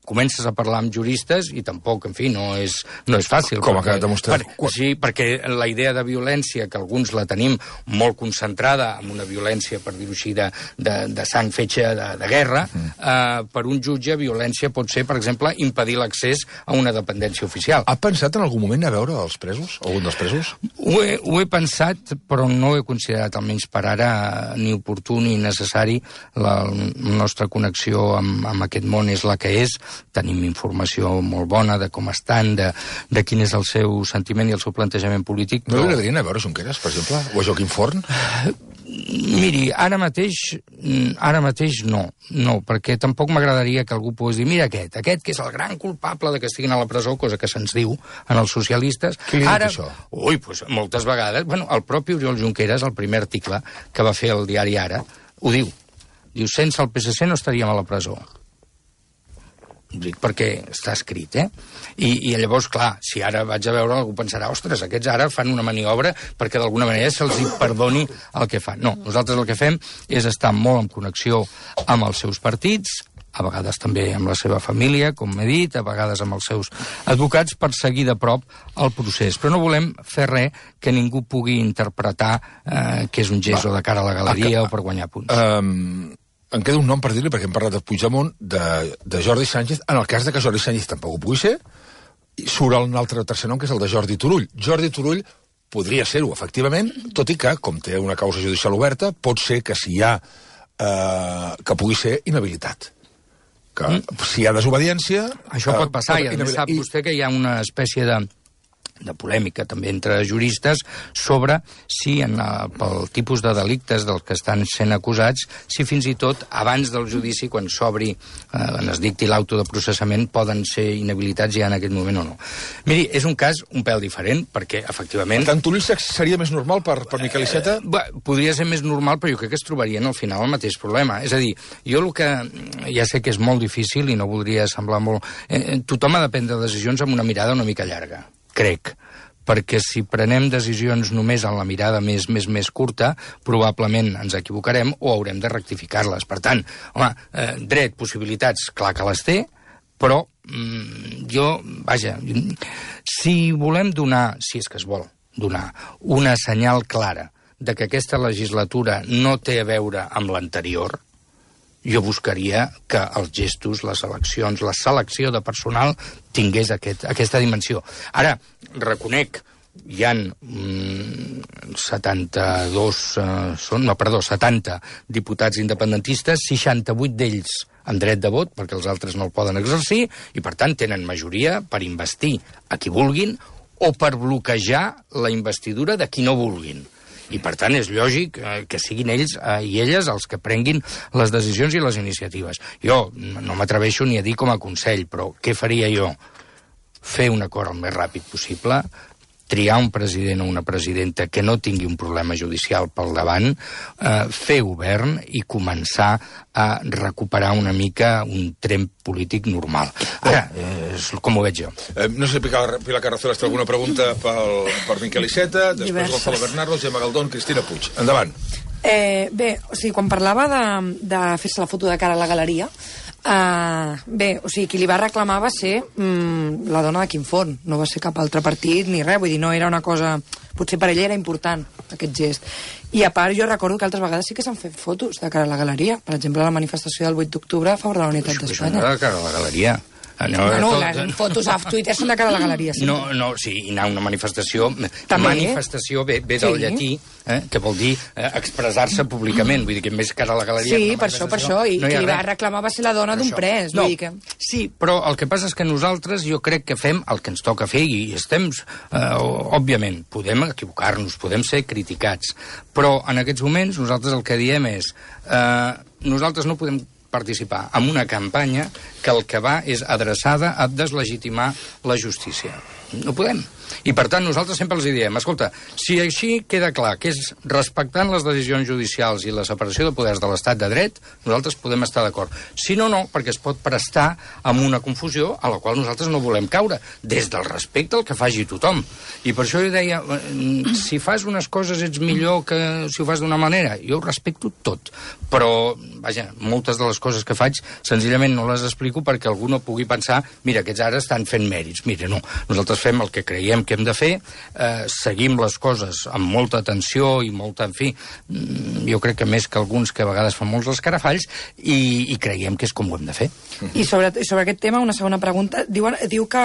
comences a parlar amb juristes i tampoc, en fi, no és fàcil. Com ha quedat demostrat? Sí, perquè la idea de violència, que alguns la tenim molt concentrada en una violència, per dir-ho així, de sang fetge de guerra, per un jutge violència pot ser, per exemple, impedir l'accés a una dependència oficial. Ha pensat en algun moment a veure els presos? Algun dels presos? Ho he pensat, però no ho he considerat, almenys per ara, ni oportú ni necessari. La nostra connexió amb aquest món és la que és. Tenim informació molt bona de com estan, de quin és el seu sentiment i el seu plantejament polític. No li agradaria anar a veure Junqueras, per exemple? O a Joaquim Forn? Miri, ara mateix no, perquè tampoc m'agradaria que algú pogués dir, mira aquest que és el gran culpable de que estiguin a la presó, cosa que se'ns diu en els socialistes. Qui li diu això? Ui, doncs moltes vegades, el propi Oriol Junqueras, el primer article que va fer el diari Ara, ho diu. Diu, sense el PSC no estaríem a la presó. Dic perquè està escrit, I llavors, clar, si ara vaig a veure, algú pensarà, ostres, aquests ara fan una maniobra perquè d'alguna manera se'ls perdoni el que fan. No, nosaltres el que fem és estar molt en connexió amb els seus partits, a vegades també amb la seva família, com m'he dit, a vegades amb els seus advocats, per seguir de prop el procés. Però no volem fer res que ningú pugui interpretar que és un gest o de cara a la galeria o per guanyar punts. Em queda un nom per dir-li, perquè hem parlat de Puigdemont, de Jordi Sánchez. En el cas de que Jordi Sánchez tampoc ho pugui ser, surt un altre tercer nom, que és el de Jordi Turull. Jordi Turull podria ser-ho, efectivament, tot i que, com té una causa judicial oberta, pot ser que si hi ha... que pugui ser inhabilitat. Que si hi ha desobediència... Això pot passar, i a més sap vostè que hi ha una espècie de polèmica també entre juristes sobre si pel tipus de delictes dels que estan sent acusats, si fins i tot abans del judici, quan s'obri, quan es dicti l'auto de processament, poden ser inhabilitats ja en aquest moment o no. Miri, és un cas un pèl diferent, perquè efectivament... Per tant, Turull seria més normal per Miquel Iceta? Podria ser més normal, però jo crec que es trobarien al final el mateix problema. És a dir, jo el que ja sé que és molt difícil i no voldria semblar molt... Tothom ha de prendre decisions amb una mirada una mica llarga, crec, perquè si prenem decisions només en la mirada més curta, probablement ens equivocarem o haurem de rectificar-les. Per tant, dret, possibilitats, clar que les té, però si volem donar, si és que es vol donar, una senyal clara de que aquesta legislatura no té a veure amb l'anterior, jo buscaria que els gestos, les eleccions, la selecció de personal tingués aquesta dimensió. Ara, reconec, hi ha 70 diputats independentistes, 68 d'ells amb dret de vot, perquè els altres no el poden exercir, i per tant tenen majoria per investir a qui vulguin o per bloquejar la investidura de qui no vulguin. I, per tant, és lògic que siguin ells i elles els que prenguin les decisions i les iniciatives. Jo no m'atreveixo ni a dir com a consell, però què faria jo? Fer un acord el més ràpid possible, triar un president o una presidenta que no tingui un problema judicial pel davant, fer govern i començar a recuperar una mica un tren polític normal. Ara, és com ho veig jo. No sé, Pilar Carrazola, té alguna pregunta per Miquel Iceta, després Gonzalo Bernardo, Gemma Galdón, Cristina Puig. Endavant. Bé, o sigui, quan parlava de fer-se la foto de cara a la galeria, bé, o sigui, qui li va reclamar va ser la dona de Quim Forn, no va ser cap altre partit ni res, vull dir, no era una cosa... Potser per ella era important, aquest gest. I a part, jo recordo que altres vegades sí que s'han fet fotos de cara a la galeria. Per exemple, la manifestació del 8 d'octubre a favor de la unitat d'Espanya. De cara a la galeria. Les fotos a Twitter són de cara a la galeria. Sí. No, sí, anar a una manifestació... Manifestació ve del llatí, que vol dir expressar-se públicament, vull dir que més cara a la galeria... Sí, per això, i qui li va reclamar va ser la dona d'un pres. No, sí, però el que passa és que nosaltres jo crec que fem el que ens toca fer i estem, òbviament, podem equivocar-nos, podem ser criticats, però en aquests moments nosaltres el que diem és nosaltres no podem participar en una campanya que el que va és adreçada a deslegitimar la justícia. No podem. I, per tant, nosaltres sempre els diem, escolta, si així queda clar que és respectant les decisions judicials i la separació de poders de l'estat de dret, nosaltres podem estar d'acord. Si no, no, perquè es pot prestar amb una confusió a la qual nosaltres no volem caure, des del respecte al que faci tothom. I per això jo deia, si fas unes coses ets millor que si ho fas d'una manera. Jo ho respecto tot, però, vaja, moltes de les coses que faig senzillament no les explico perquè algú no pugui pensar, mira, aquests ara estan fent mèrits. Mira, no, nosaltres fem el que creiem que hem de fer, seguim les coses amb molta atenció i molta, en fi, jo crec que més que alguns que a vegades fan molts escarafalls i creiem que és com ho hem de fer. I sobre aquest tema, una segona pregunta. Diu que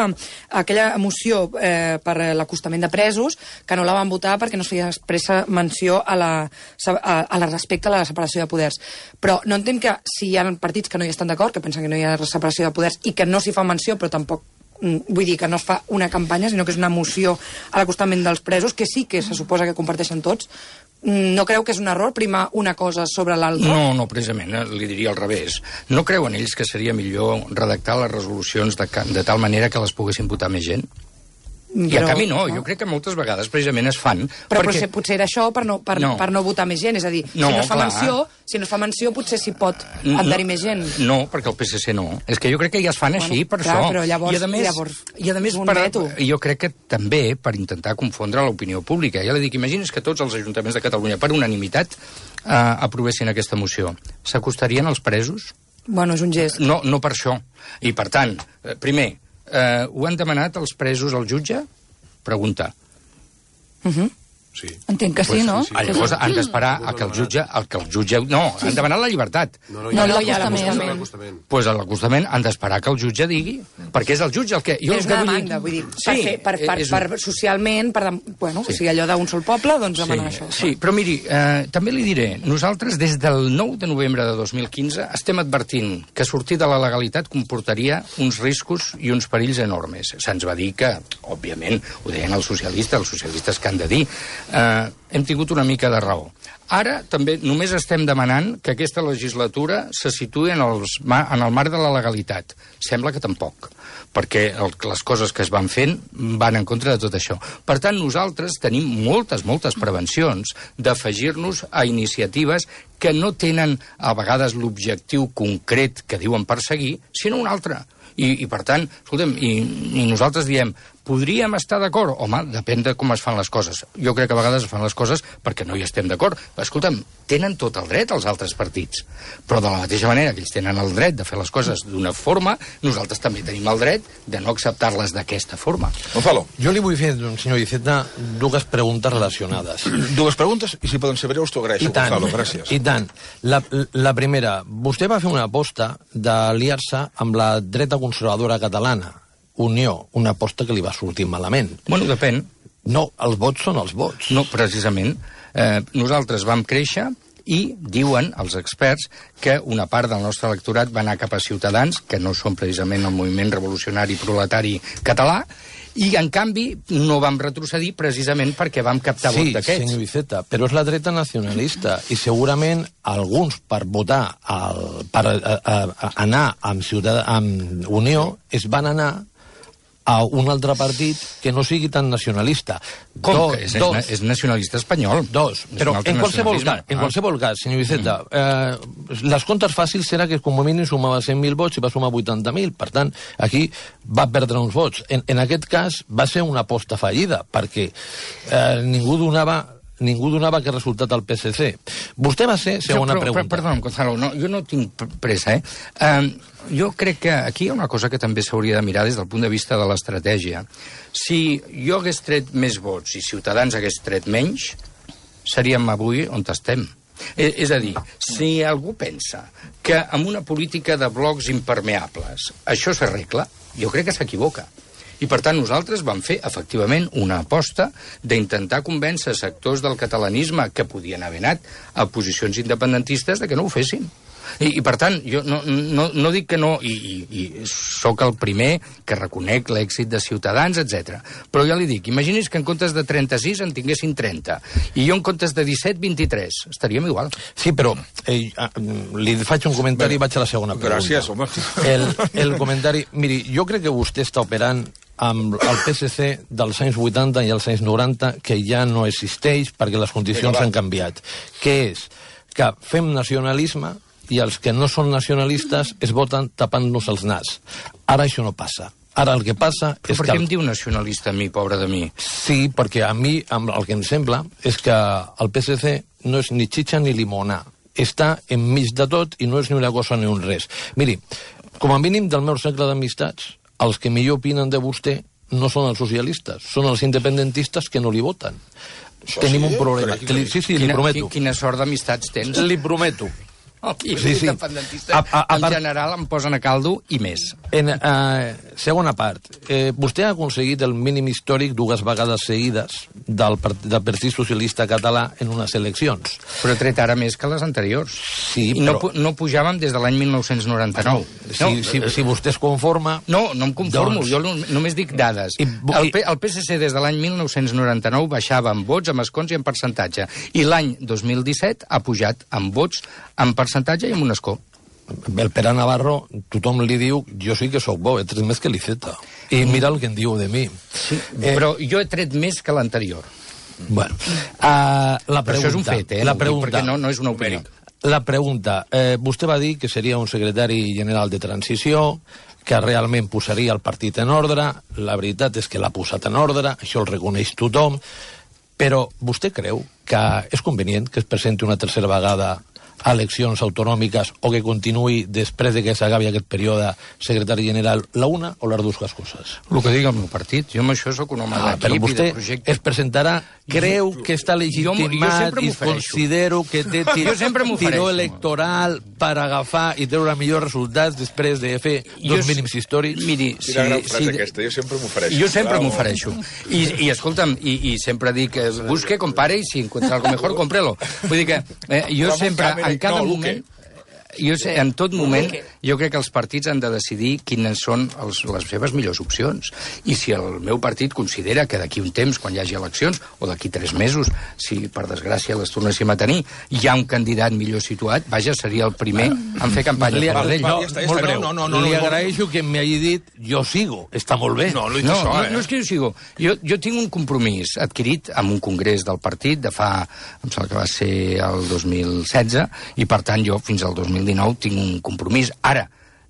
aquella moció per l'acostament de presos, que no la van votar perquè no es feia expressa menció a la respecte a la separació de poders. Però no entenc que si hi ha partits que no hi estan d'acord, que pensen que no hi ha separació de poders i que no s'hi fa menció, però tampoc vull dir que no es fa una campanya, sinó que és una moció a l'acostament dels presos, que sí que se suposa que comparteixen tots. No creu que és un error primar una cosa sobre l'altra? No, precisament, li diria al revés. No creuen ells que seria millor redactar les resolucions de tal manera que les poguessin votar més gent? I a canvi no, jo crec que moltes vegades precisament es fan... Però potser era això per no votar més gent, és a dir, si no es fa menció potser s'hi pot adherir més gent. No, perquè el PSC no. És que jo crec que ja es fan així per això. Però llavors, I a més jo crec que també per intentar confondre l'opinió pública. Ja li dic, imagines que tots els ajuntaments de Catalunya per unanimitat aprovessin aquesta moció. S'acostarien als presos? Bueno, és un gest. No per això. I per tant, primer, ho han demanat els presos al jutge? Pregunta. Sí. Entenc que sí, no? Llavors han d'esperar a que el jutge... No, han demanat la llibertat. No hi ha l'acostament. Doncs a l'acostament han d'esperar que el jutge digui, perquè és el jutge el que... És una demanda, vull dir, per socialment, o sigui, allò d'un sol poble, doncs demanar això. Sí, però miri, també li diré, nosaltres des del 9 de novembre de 2015 estem advertint que sortir de la legalitat comportaria uns riscos i uns perills enormes. Se'ns va dir que, òbviament, ho deien els socialistes que han de dir, hem tingut una mica de raó. Ara també només estem demanant que aquesta legislatura se situï en el marc de la legalitat. Sembla que tampoc, perquè les coses que es van fent van en contra de tot això. Per tant, nosaltres tenim moltes prevencions d'afegir-nos a iniciatives que no tenen a vegades l'objectiu concret que diuen perseguir, sinó un altre. I per tant, escolta'm, i nosaltres diem, podríem estar d'acord? Home, depèn de com es fan les coses. Jo crec que a vegades es fan les coses perquè no hi estem d'acord. Escolta'm, tenen tot el dret els altres partits, però de la mateixa manera que ells tenen el dret de fer les coses d'una forma, nosaltres també tenim el dret de no acceptar-les d'aquesta forma. Gonzalo. Jo li vull fer, senyor Iceta, dues preguntes relacionades. Dues preguntes, i si poden ser breus, t'ho agraeixo, Gonzalo, gràcies. I tant. La primera, vostè va fer una aposta d'aliar-se amb la dreta conservadora catalana, Unió, una aposta que li va sortir malament. Bueno, depèn. No, els vots són els vots. No, precisament. Nosaltres vam créixer i diuen els experts que una part del nostre electorat va anar cap a Ciutadans, que no són precisament el moviment revolucionari proletari català, i en canvi no vam retrocedir precisament perquè vam captar vot d'aquests. Sí, senyor Iceta, però és la dreta nacionalista i segurament alguns per votar, per anar amb Unió, es van anar a un altre partit que no sigui tan nacionalista. Com que és nacionalista espanyol? Però en qualsevol cas, senyor Iceta, les comptes fàcils serà que com a mínim sumava 100.000 vots i va sumar 80.000. Per tant, aquí va perdre uns vots. En aquest cas va ser una aposta fallida, perquè ningú donava que resultat al PSC. Vostè va ser, segona pregunta. Perdona, Gonzalo, jo no tinc pressa, Jo crec que aquí hi ha una cosa que també s'hauria de mirar des del punt de vista de l'estratègia. Si jo hagués tret més vots i Ciutadans hagués tret menys, seríem avui on estem. És a dir, si algú pensa que amb una política de blocs impermeables això s'arregla, jo crec que s'equivoca. I, per tant, nosaltres vam fer, efectivament, una aposta d'intentar convèncer sectors del catalanisme que podien haver anat a posicions independentistes de que no ho fessin. I per tant, jo no dic que no, i sóc el primer que reconec l'èxit de Ciutadans, etc. Però ja li dic, imagini's que en comptes de 36 en tinguessin 30, i jo en comptes de 17, 23. Estaríem igual. Sí, però li faig un comentari i vaig a la segona pregunta. Gràcies, home. El comentari... Miri, jo crec que vostè està operant amb el PSC dels anys 80 i els anys 90, que ja no existeix perquè les condicions han canviat. Què és? Que fem nacionalisme i els que no són nacionalistes es voten tapant-nos els nas. Ara això no passa. Ara el que passa és que... Per què em diu nacionalista a mi, pobre de mi? Sí, perquè a mi el que em sembla és que el PSC no és ni xitxa ni limona. Està enmig de tot i no és ni una cosa ni un res. Miri, com a mínim del meu cercle d'amistats, els que millor opinen de vostè no són els socialistes, són els independentistes que no li voten. Tenim un problema. Sí, li prometo. Quina sort d'amistats tens? Li prometo. I els independentistes en general em posen a caldo i més. Segona part, vostè ha aconseguit el mínim històric 2 vegades seguides del Partit Socialista Català en unes eleccions. Però he tret ara més que les anteriors. Sí, però... No pujàvem des de l'any 1999. Si vostè es conforma... No em conformo, jo només dic dades. El PSC des de l'any 1999 baixava en vots, en escons i en percentatge. I l'any 2017 ha pujat en vots, en percentatge i en un escó. El Pere Navarro, tothom li diu, jo sí que sóc bo, he tret més que l'Iceta. I mira el que en diu de mi. Sí, però jo he tret més que l'anterior. Bueno, la pregunta... Però això és un fet, perquè no és una opinió. La pregunta, vostè va dir que seria un secretari general de transició, que realment posaria el partit en ordre, la veritat és que l'ha posat en ordre, això el reconeix tothom, però vostè creu que és convenient que es presenti una tercera vegada a eleccions autonòmiques o que continuï després de que s'acabi aquest període secretari general, la una o les dues coses? El que digui el meu partit. Jo amb això sóc un home d'equip i de projecte. Però vostè es presentarà, creu que està legitimat i considero que té tiró electoral per agafar i treure millors resultats després de fer dos mínims històrics? Miri, quina gran frase aquesta, jo sempre m'ofereixo. Jo sempre m'ofereixo. I escolta'm, i sempre dic, busque, compare, i si encuentra algo mejor, cómprelo. Vull dir que jo sempre... En cada moment, en tot moment, jo crec que els partits han de decidir quines són les seves millors opcions. I si el meu partit considera que d'aquí un temps, quan hi hagi eleccions, o d'aquí 3 mesos, si per desgràcia les tornéssim a tenir, hi ha un candidat millor situat, vaja, seria el primer en fer campanya. Li agraeixo que m'hagi dit jo sigo, està molt bé. No és que jo sigo. Jo tinc un compromís adquirit amb un congrés del partit de fa, em sembla que va ser el 2016, i per tant jo fins al 2019 tinc un compromís. Ara,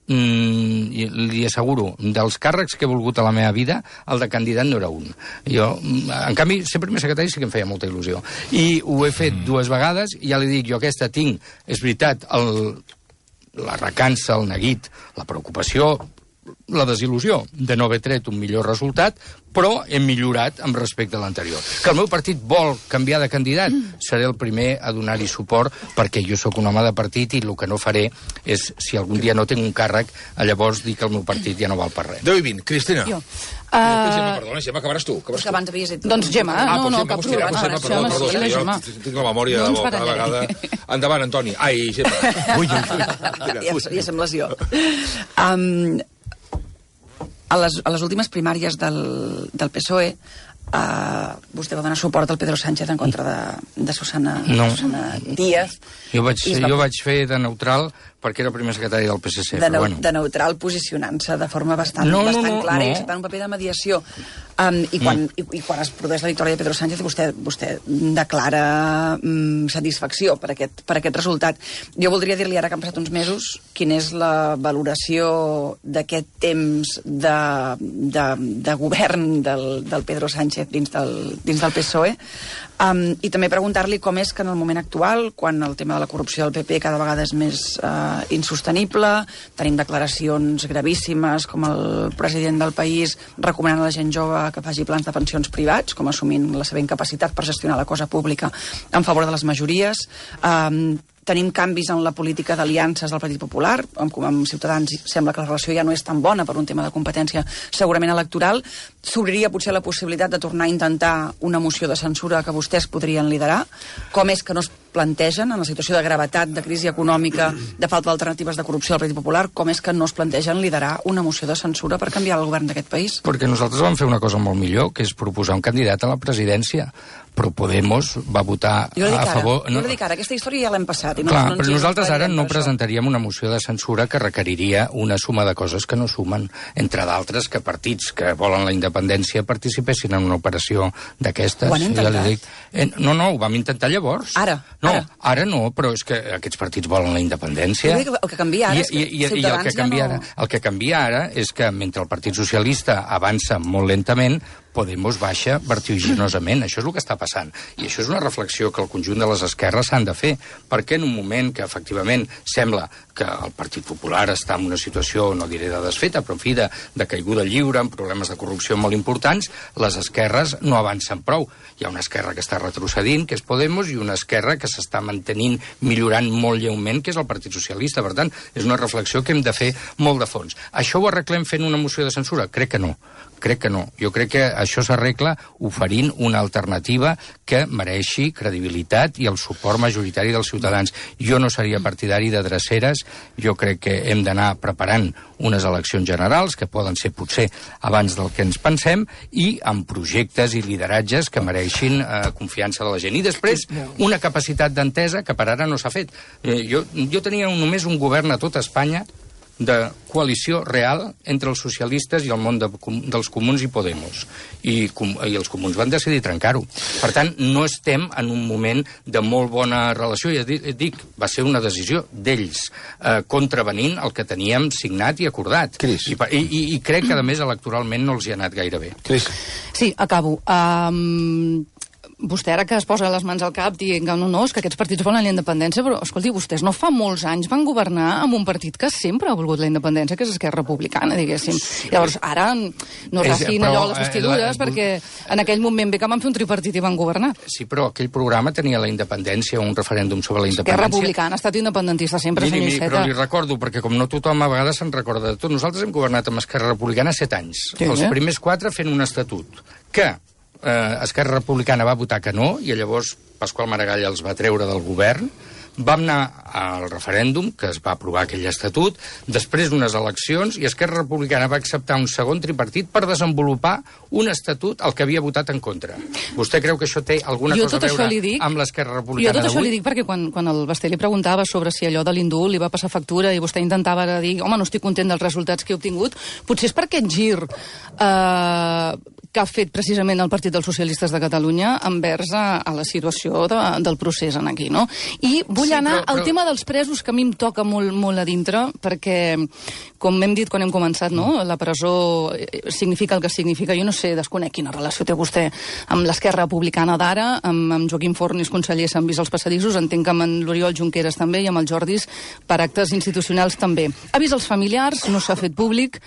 li asseguro, dels càrrecs que he volgut a la meva vida, el de candidat no era un. Jo, en canvi, ser primer secretari sí que em feia molta il·lusió. I ho he fet 2 vegades, i ja li dic, jo aquesta tinc, és veritat, la recança, el neguit, la preocupació, la desil·lusió de no haver tret un millor resultat, però hem millorat amb respecte a l'anterior. Que el meu partit vol canviar de candidat, seré el primer a donar-hi suport, perquè jo sóc un home de partit i el que no faré és, si algun dia no tinc un càrrec, llavors dir que el meu partit ja no val per res. 10 i 20. Cristina. Jo. Perdona, Gemma, acabaràs tu. Que abans havies dit... Doncs Gemma, cap problema. Perdó, tinc la memòria cada vegada. Endavant, Antoni. Ai, Gemma. Ui. Ja sembles jo. A les últimes primàries del PSOE, vostè va donar suport al Pedro Sánchez en contra de Susana Díaz. Jo vaig fer de neutral perquè era el primer secretari del PSC. De neutral, posicionant-se de forma bastant clara i acceptant un paper de mediació. I quan es produeix la victòria de Pedro Sánchez, vostè declara satisfacció per aquest resultat. Jo voldria dir-li, ara que han passat uns mesos, quina és la valoració d'aquest temps de govern del Pedro Sánchez dins del PSOE, i també preguntar-li com és que en el moment actual, quan el tema de la corrupció del PP cada vegada és més insostenible, tenim declaracions gravíssimes com el president del país recomanant a la gent jove que faci plans de pensions privats, com assumint la seva incapacitat per gestionar la cosa pública en favor de les majories. Tenim canvis en la política d'aliances del Partit Popular, amb Ciutadans sembla que la relació ja no és tan bona per un tema de competència segurament electoral. S'obriria potser la possibilitat de tornar a intentar una moció de censura que vostès podrien liderar. Com és que no es plantegen, en la situació de gravetat, de crisi econòmica, de falta d'alternatives de corrupció del Partit Popular, com és que no es plantegen liderar una moció de censura per canviar el govern d'aquest país? Perquè nosaltres vam fer una cosa molt millor, que és proposar un candidat a la presidència. Però Podemos va votar a favor... Jo li dic ara, aquesta història ja l'hem passat. Clar, però nosaltres ara no presentaríem una moció de censura que requeriria una suma de coses que no sumen, entre d'altres que partits que volen la independència participessin en una operació d'aquestes. Ho han intentat? No, ho vam intentar llavors. Ara no, però és que aquests partits volen la independència. El que canvia ara és que Ciutadans ja no... El que canvia ara és que mentre el Partit Socialista avança molt lentament, Podemos baixa vertiginosament. Això és el que està passant. I això és una reflexió que el conjunt de les esquerres s'han de fer. Perquè en un moment que, efectivament, sembla que el Partit Popular està en una situació, no diré de desfeta, però en fi, de caiguda lliure, amb problemes de corrupció molt importants, les esquerres no avancen prou. Hi ha una esquerra que està retrocedint, que és Podemos, i una esquerra que s'està mantenint, millorant molt lleument, que és el Partit Socialista. Per tant, és una reflexió que hem de fer molt de fons. Això ho arreglem fent una moció de censura? Crec que no. Jo crec que això s'arregla oferint una alternativa que mereixi credibilitat i el suport majoritari dels ciutadans. Jo no seria partidari de dreceres, jo crec que hem d'anar preparant unes eleccions generals, que poden ser potser abans del que ens pensem, i amb projectes i lideratges que mereixin confiança de la gent. I després, una capacitat d'entesa que per ara no s'ha fet. Jo tenia només un govern a tota Espanya de coalició real entre els socialistes i el món dels comuns i Podemos. I els comuns van decidir trencar-ho. Per tant, no estem en un moment de molt bona relació. Ja dic, va ser una decisió d'ells, contravenint el que teníem signat i acordat. I crec que, a més, electoralment no els hi ha anat gaire bé. Sí, acabo. Vostè ara que es posa les mans al cap dient que no, és que aquests partits volen la independència, però, escolti, vostès no fa molts anys van governar amb un partit que sempre ha volgut la independència, que és Esquerra Republicana, diguéssim. Llavors, ara no rasquin allò a les vestidures, perquè en aquell moment bé que van fer un tripartit i van governar. Sí, però aquell programa tenia la independència, un referèndum sobre la independència. Esquerra Republicana ha estat independentista sempre, senyor Iceta. Però li recordo, perquè com no tothom a vegades se'n recorda de tot, nosaltres hem governat amb Esquerra Republicana 7 anys. Els primers 4 fent un estatut que Esquerra Republicana va votar que no, i llavors Pasqual Maragall els va treure del govern. Vam anar al referèndum, que es va aprovar aquell estatut, després d'unes eleccions, i Esquerra Republicana va acceptar un segon tripartit per desenvolupar un estatut al que havia votat en contra. Vostè creu que això té alguna cosa a veure amb l'Esquerra Republicana d'avui? Jo tot això li dic perquè quan el Basté li preguntava sobre si allò de l'indult li va passar factura i vostè intentava dir, home, no estic content dels resultats que he obtingut, potser és per aquest gir que ha fet precisament el Partit dels Socialistes de Catalunya envers a la situació del procés en aquí, no? I vull anar al tema dels presos, que a mi em toca molt a dintre, perquè, com hem dit quan hem començat, no? La presó significa el que significa. Jo no sé, desconec quina relació té vostè amb l'Esquerra Republicana d'ara, amb Joaquim Fornis, conseller, s'han vist els passadissos, entenc que amb l'Oriol Junqueras també, i amb el Jordis per actes institucionals també. Ha vist els familiars, no s'ha fet públic.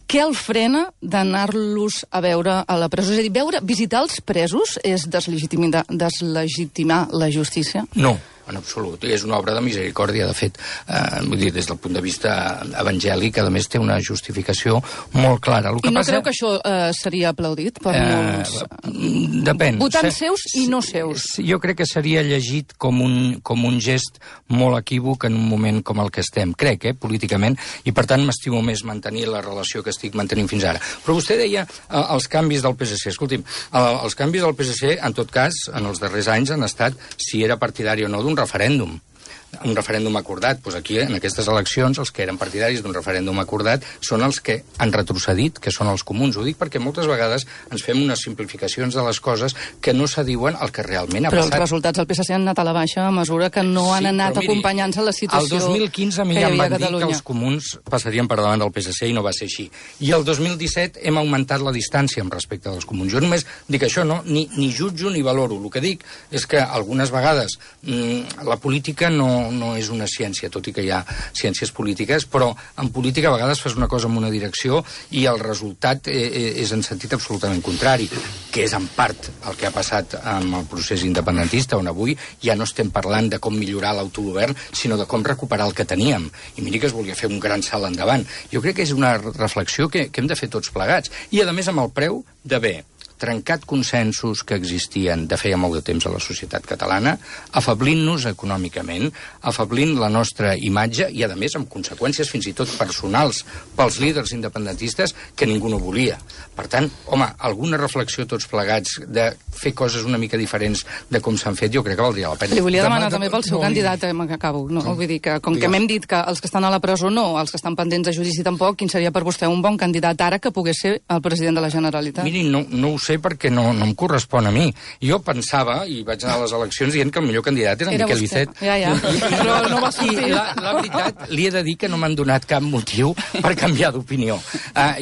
Què el frena d'anar-los a veure a la presó? És a dir, visitar els presos és deslegitimar la justícia? No, en absolut. És una obra de misericòrdia, de fet. Vull dir, des del punt de vista evangèlic, a més té una justificació molt clara. I no creu que això seria aplaudit per molts? Depèn. Votants seus i no seus. Jo crec que seria llegit com un gest molt equívoc en un moment com el que estem. Crec, políticament, i per tant m'estimo més mantenir la relació que estic mantenint fins ara. Però vostè deia els canvis del PSC. Escolti'm, els canvis del PSC, en tot cas, en els darrers anys han estat, si era partidari o no, d'un referèndum. un referèndum acordat. Doncs aquí, en aquestes eleccions, els que eren partidaris d'un referèndum acordat són els que han retrocedit, que són els comuns. Ho dic perquè moltes vegades ens fem unes simplificacions de les coses que no s'adiuen al que realment ha passat. Però els resultats del PSC han anat a la baixa a mesura que no han anat acompanyant-se la situació. El 2015 a mi ja em van dir que els comuns passarien per davant del PSC i no va ser així. I el 2017 hem augmentat la distància amb respecte dels comuns. Jo només dic això, no? Ni jutjo ni valoro. El que dic és que algunes vegades la política no és una ciència, tot i que hi ha ciències polítiques, però en política a vegades fas una cosa en una direcció i el resultat és en sentit absolutament contrari, que és en part el que ha passat amb el procés independentista, on avui ja no estem parlant de com millorar l'autogovern, sinó de com recuperar el que teníem. I miri que es volia fer un gran salt endavant. Jo crec que és una reflexió que hem de fer tots plegats. I, a més, amb el preu d'haver trencat consensos que existien de feia molt de temps a la societat catalana, afablint-nos econòmicament, afablint la nostra imatge i, a més, amb conseqüències fins i tot personals pels líders independentistes que ningú no volia. Per tant, home, alguna reflexió tots plegats de fer coses una mica diferents de com s'han fet, jo crec que valdria la pena. Li volia demanar també pel seu candidat, que acabo. No? Vull dir que, com que m'hem dit que els que estan a la presó no, els que estan pendents de judici tampoc, quin seria per vostè un bon candidat ara que pogués ser el president de la Generalitat? Miri, no ho sé perquè no em correspon a mi. Jo pensava, i vaig anar a les eleccions dient que el millor candidat era Miquel Icet. Ja. Però no va sortir. La veritat, li he de dir que no m'han donat cap motiu per canviar d'opinió.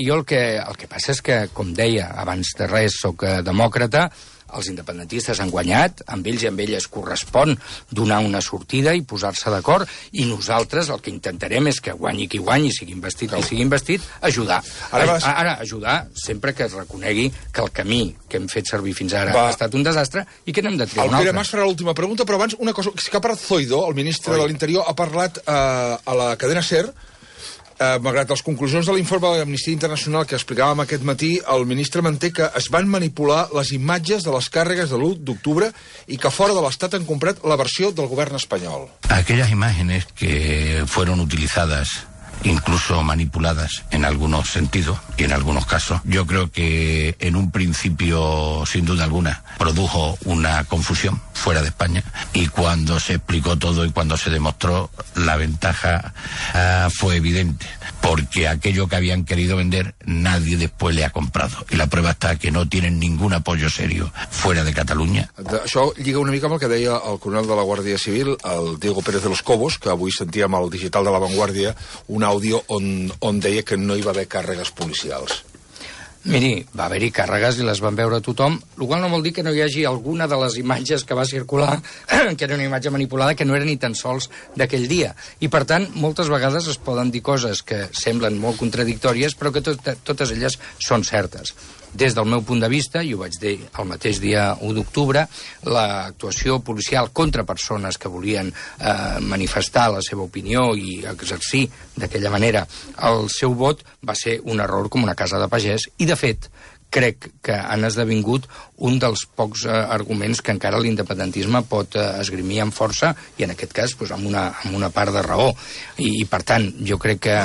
Jo el que passa és que, com deia, abans de res soc demòcrata, els independentistes han guanyat, amb ells i amb elles correspon donar una sortida i posar-se d'acord, i nosaltres el que intentarem és que guanyi qui guanyi, sigui investit qui sigui investit, ajudar. Ara, ajudar sempre que es reconegui que el camí que hem fet servir fins ara ha estat un desastre i que n'hem de triar un altre. El Pere Mas farà l'última pregunta, però abans una cosa, que ha parlat Zoido, el ministre de l'Interior, ha parlat a la cadena SER. Malgrat les conclusions de l'informe de l'Amnistia Internacional que explicàvem aquest matí, el ministre manté que es van manipular les imatges de les càrregues de l'1 d'octubre i que fora de l'Estat han comprat la versió del govern espanyol. Aquellas imágenes que fueron utilizadas, incluso manipuladas en algunos sentidos y en algunos casos, yo creo que en un principio, sin duda alguna, produjo una confusión fuera de España, y cuando se explicó todo y cuando se demostró, la ventaja fue evidente, porque aquello que habían querido vender nadie después le ha comprado, y la prueba está que no tienen ningún apoyo serio fuera de Catalunya. Això lliga una mica amb el que deia el coronel de la Guàrdia Civil, el Diego Pérez de los Cobos, que avui sentíem al digital de La Vanguardia un àudio on deia que no hi va haver càrregues policials. Miri, va haver-hi càrregues i les van veure tothom, el qual no vol dir que no hi hagi alguna de les imatges que va circular, que era una imatge manipulada, que no era ni tan sols d'aquell dia. I, per tant, moltes vegades es poden dir coses que semblen molt contradictòries, però que totes elles són certes. Des del meu punt de vista, i ho vaig dir el mateix dia 1 d'octubre, l'actuació policial contra persones que volien manifestar la seva opinió i exercir d'aquella manera el seu vot va ser un error com una casa de pagès, i de fet crec que han esdevingut un dels pocs arguments que encara l'independentisme pot esgrimir amb força, i en aquest cas amb una part de raó. I per tant, jo crec que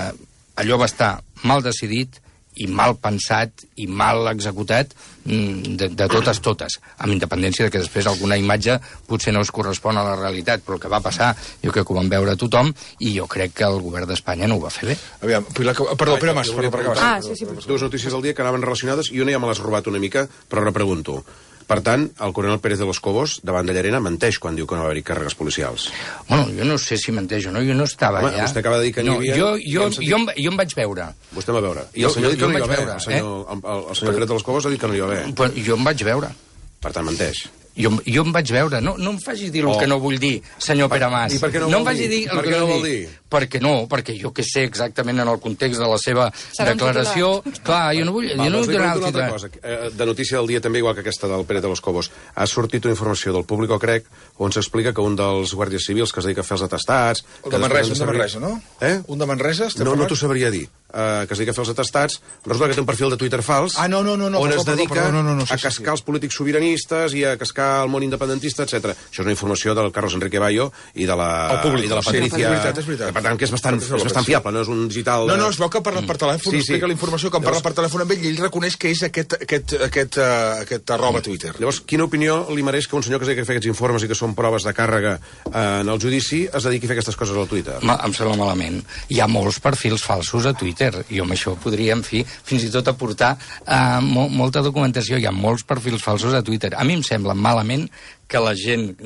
allò va estar mal decidit i mal pensat i mal executat de totes, amb independència de que després alguna imatge potser no es correspon a la realitat, però el que va passar jo crec que ho van veure tothom, i jo crec que el govern d'Espanya no ho va fer bé. Aviam, perdó, Pere Mas, per acabar. Sí. Dues notícies del dia que anaven relacionades i una ja me l'has robat una mica, però repregunto. Per tant, el coronel Pérez de los Cobos, davant de Llarena, menteix quan diu que no va haver-hi càrregues policials. Bueno, jo no sé si menteix o no, jo no estava allà. Vostè acaba de dir que n'hi havia... Jo em vaig veure. Vostè em va veure. I el senyor ha dit que no hi va haver. El senyor Pérez de los Cobos ha dit que no hi va haver. Jo em vaig veure. Per tant, menteix. Jo em vaig veure. No em faci dir el que no vull dir, senyor Pere Mas. I per què no ho vol dir? Per què no ho vol dir? Perquè jo que sé exactament en el context de la seva declaració... Clar, jo no vull donar el titular. De notícia del dia també, igual que aquesta del Pérez de los Cobos, ha sortit una informació del Público, crec, on s'explica que un dels guàrdies civils que es dedica a fer els atestats... Un de Manresa, no? Un de Manresa? No t'ho sabria dir. Que es dedica a fer els atestats, resulta que té un perfil de Twitter fals, on es dedica a cascar els polítics sobiranistes i a cascar el món independentista, etc. Això és una informació del Carlos Enrique Bayo i de la perícia... És veritat. per tant, que és bastant fiable, no és un digital... No, es veu que parla per telèfon, explica la informació que parla per telèfon amb ell i ell reconeix que és aquest arroba Twitter. Llavors, quina opinió li mereix que un senyor que es dedica a fer aquests informes i que són proves de càrrega en el judici es dediqui a fer aquestes coses al Twitter? Em sembla malament. Hi ha molts perfils falsos a Twitter, i amb això podria, en fi, fins i tot aportar molta documentació. Hi ha molts perfils falsos a Twitter. A mi em sembla malament que la gent,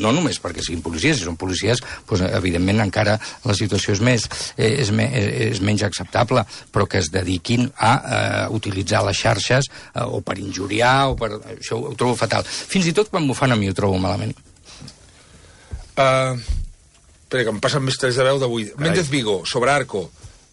no només perquè siguin policies, si són policies, doncs, evidentment encara la situació és menys acceptable, però que es dediquin a utilitzar les xarxes o per injuriar, això ho trobo fatal. Fins i tot quan m'ho fan a mi ho trobo malament. Espera, que em passen més tres de veu d'avui. Méndez Vigo, sobre Arco,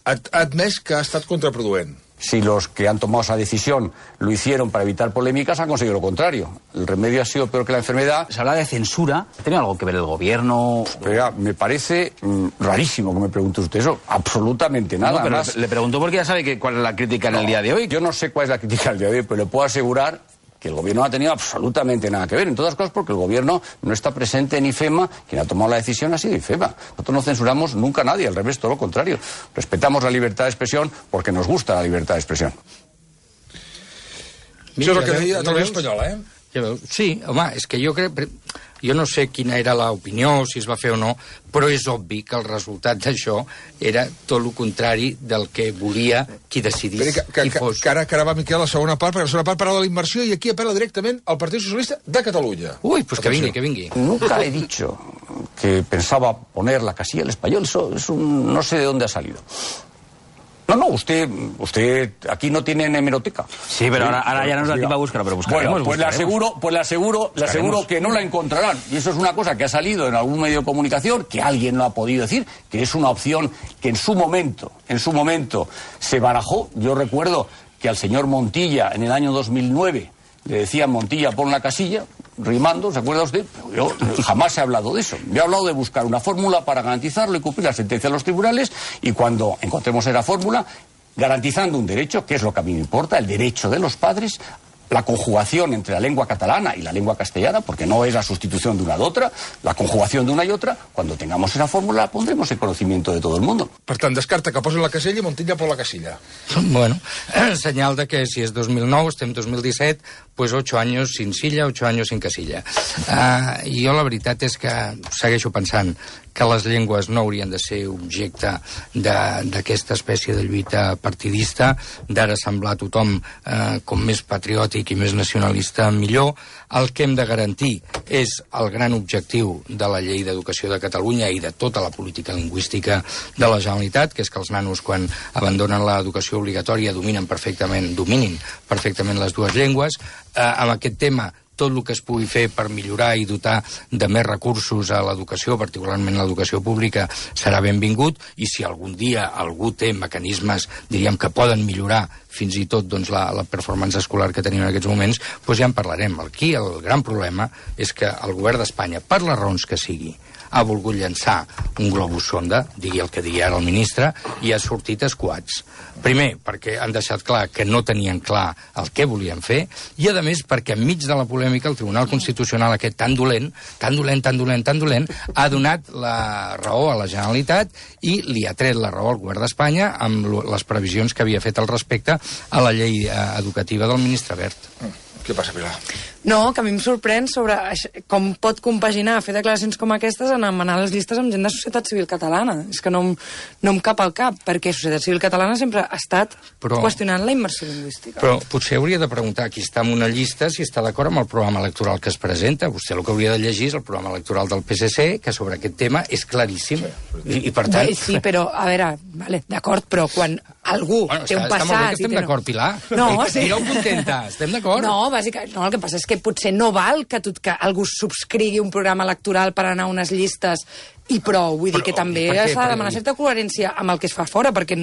ha admès que ha estat contraproduent. Si los que han tomado esa decisión lo hicieron para evitar polémicas, han conseguido lo contrario. El remedio ha sido peor que la enfermedad. Se habla de censura. ¿Tiene algo que ver el gobierno? Pero me parece rarísimo que me pregunte usted eso. Absolutamente nada. No, pero más. Le pregunto porque ya sabe cuál es la crítica en el día de hoy. Yo no sé cuál es la crítica del día de hoy, pero le puedo asegurar que el gobierno no ha tenido absolutamente nada que ver, en todas cosas porque el gobierno no está presente en IFEMA, quien ha tomado la decisión ha sido IFEMA. Nosotros no censuramos nunca a nadie, al revés, todo lo contrario. Respetamos la libertad de expresión porque nos gusta la libertad de expresión. Això és el que deia a Televisió Espanyola, Sí, home, és que jo crec... Jo no sé quina era l'opinió, si es va fer o no, però és obvi que el resultat d'això era tot el contrari del que volia qui decidís qui fos. Que ara va Miquel a la segona part, perquè la segona part parla de la immersió i aquí apela directament al Partit Socialista de Catalunya. Uy, pues que vingui. Nunca he dicho que pensaba poner la casilla del español, eso no sé de dónde ha salido. No, usted aquí no tiene hemeroteca. Sí, pero ahora ya nos da tiempo a buscarlo, pero buscaremos. Bueno, pues le aseguro que no la encontrarán. Y eso es una cosa que ha salido en algún medio de comunicación, que alguien lo ha podido decir, que es una opción que en su momento se barajó. Yo recuerdo que al señor Montilla en el año 2009 le decían Montilla pon la casilla, rimando, ¿se acuerda usted? Yo jamás he hablado de eso. Yo he hablado de buscar una fórmula para garantizarlo y cumplir la sentencia de los tribunales y cuando encontremos esa fórmula, garantizando un derecho, que es lo que a mí me importa, el derecho de los padres, la conjugación entre la lengua catalana y la lengua castellana, porque no es la sustitución de una de otra, la conjugación de una y otra, cuando tengamos esa fórmula la pondremos en conocimiento de todo el mundo. Per tant, descarta que posi la casella i Montilla por la casilla. Bueno, senyal de que si és 2009, estem 2017, pues 8 años sin silla, 8 años sin casilla. Jo la veritat és que segueixo pensant que les llengües no haurien de ser objecte d'aquesta espècie de lluita partidista, d'ara semblar a tothom com més patriòtic i més nacionalista millor. El que hem de garantir és el gran objectiu de la Llei d'Educació de Catalunya i de tota la política lingüística de la Generalitat, que és que els nanos, quan abandonen l'educació obligatòria, dominin perfectament les dues llengües. Amb aquest tema, tot el que es pugui fer per millorar i dotar de més recursos a l'educació, particularment l'educació pública, serà benvingut, i si algun dia algú té mecanismes, diríem, que poden millorar fins i tot doncs, la performance escolar que tenim en aquests moments, doncs ja en parlarem. Aquí el gran problema és que el govern d'Espanya, per les raons que sigui, ha volgut llançar un globus sonda, digui el que digui ara el ministre, i ha sortit escuats. Primer, perquè han deixat clar que no tenien clar el que volien fer, i a més perquè enmig de la polèmica el Tribunal Constitucional aquest tan dolent, ha donat la raó a la Generalitat i li ha tret la raó al govern d'Espanya amb les previsions que havia fet al respecte a la llei educativa del ministre Wert. Què passa, Pilar? No, que a mi em sorprèn sobre com pot compaginar fer declaracions com aquestes en anomenar les llistes amb gent de societat civil catalana. És que no em cap al cap, perquè societat civil catalana sempre ha estat qüestionant la immersió lingüística. Però potser hauria de preguntar qui està en una llista si està d'acord amb el programa electoral que es presenta. Vostè el que hauria de llegir és el programa electoral del PSC, que sobre aquest tema és claríssim. I per tant... Sí, però, a veure, vale, d'acord, però quan algú té un passat... Està molt bé que estem d'acord, Pilar. No, sí. Direu contenta, estem d'acord? No, bàsicament, no, el que passa és que potser no val que algú subscrigui un programa electoral per anar a unes llistes i prou. Vull dir que també s'ha de demanar certa coherència amb el que es fa fora, perquè si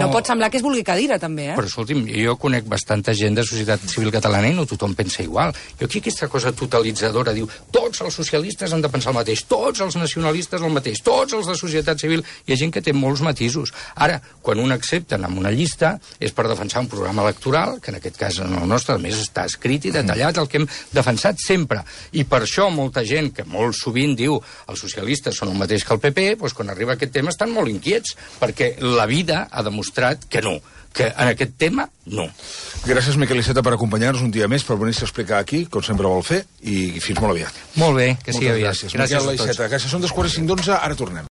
no pot semblar que es vulgui cadira, també, Però, escolti'm, jo conec bastanta gent de societat civil catalana i no tothom pensa igual. Jo aquí aquesta cosa totalitzadora diu tots els socialistes han de pensar el mateix, tots els nacionalistes el mateix, tots els de societat civil. Hi ha gent que té molts matisos. Ara, quan un accepten en una llista és per defensar un programa electoral, que en aquest cas en el nostre, a més, està escrit i detallat el que hem defensat sempre. I per això molta gent, que molt sovint diu els socialistes són el mateix que el PP, doncs quan arriba aquest tema estan molt inquiets, perquè la vida ha demostrat que no, que en aquest tema no. Gràcies, Miquel Iceta, per acompanyar-nos un dia més, per venir-se a explicar aquí, com sempre vol fer, i fins molt aviat. Molt bé, que sigui aviat. Gràcies. Miquel Iceta, gràcies. Són 2:45, ara tornem.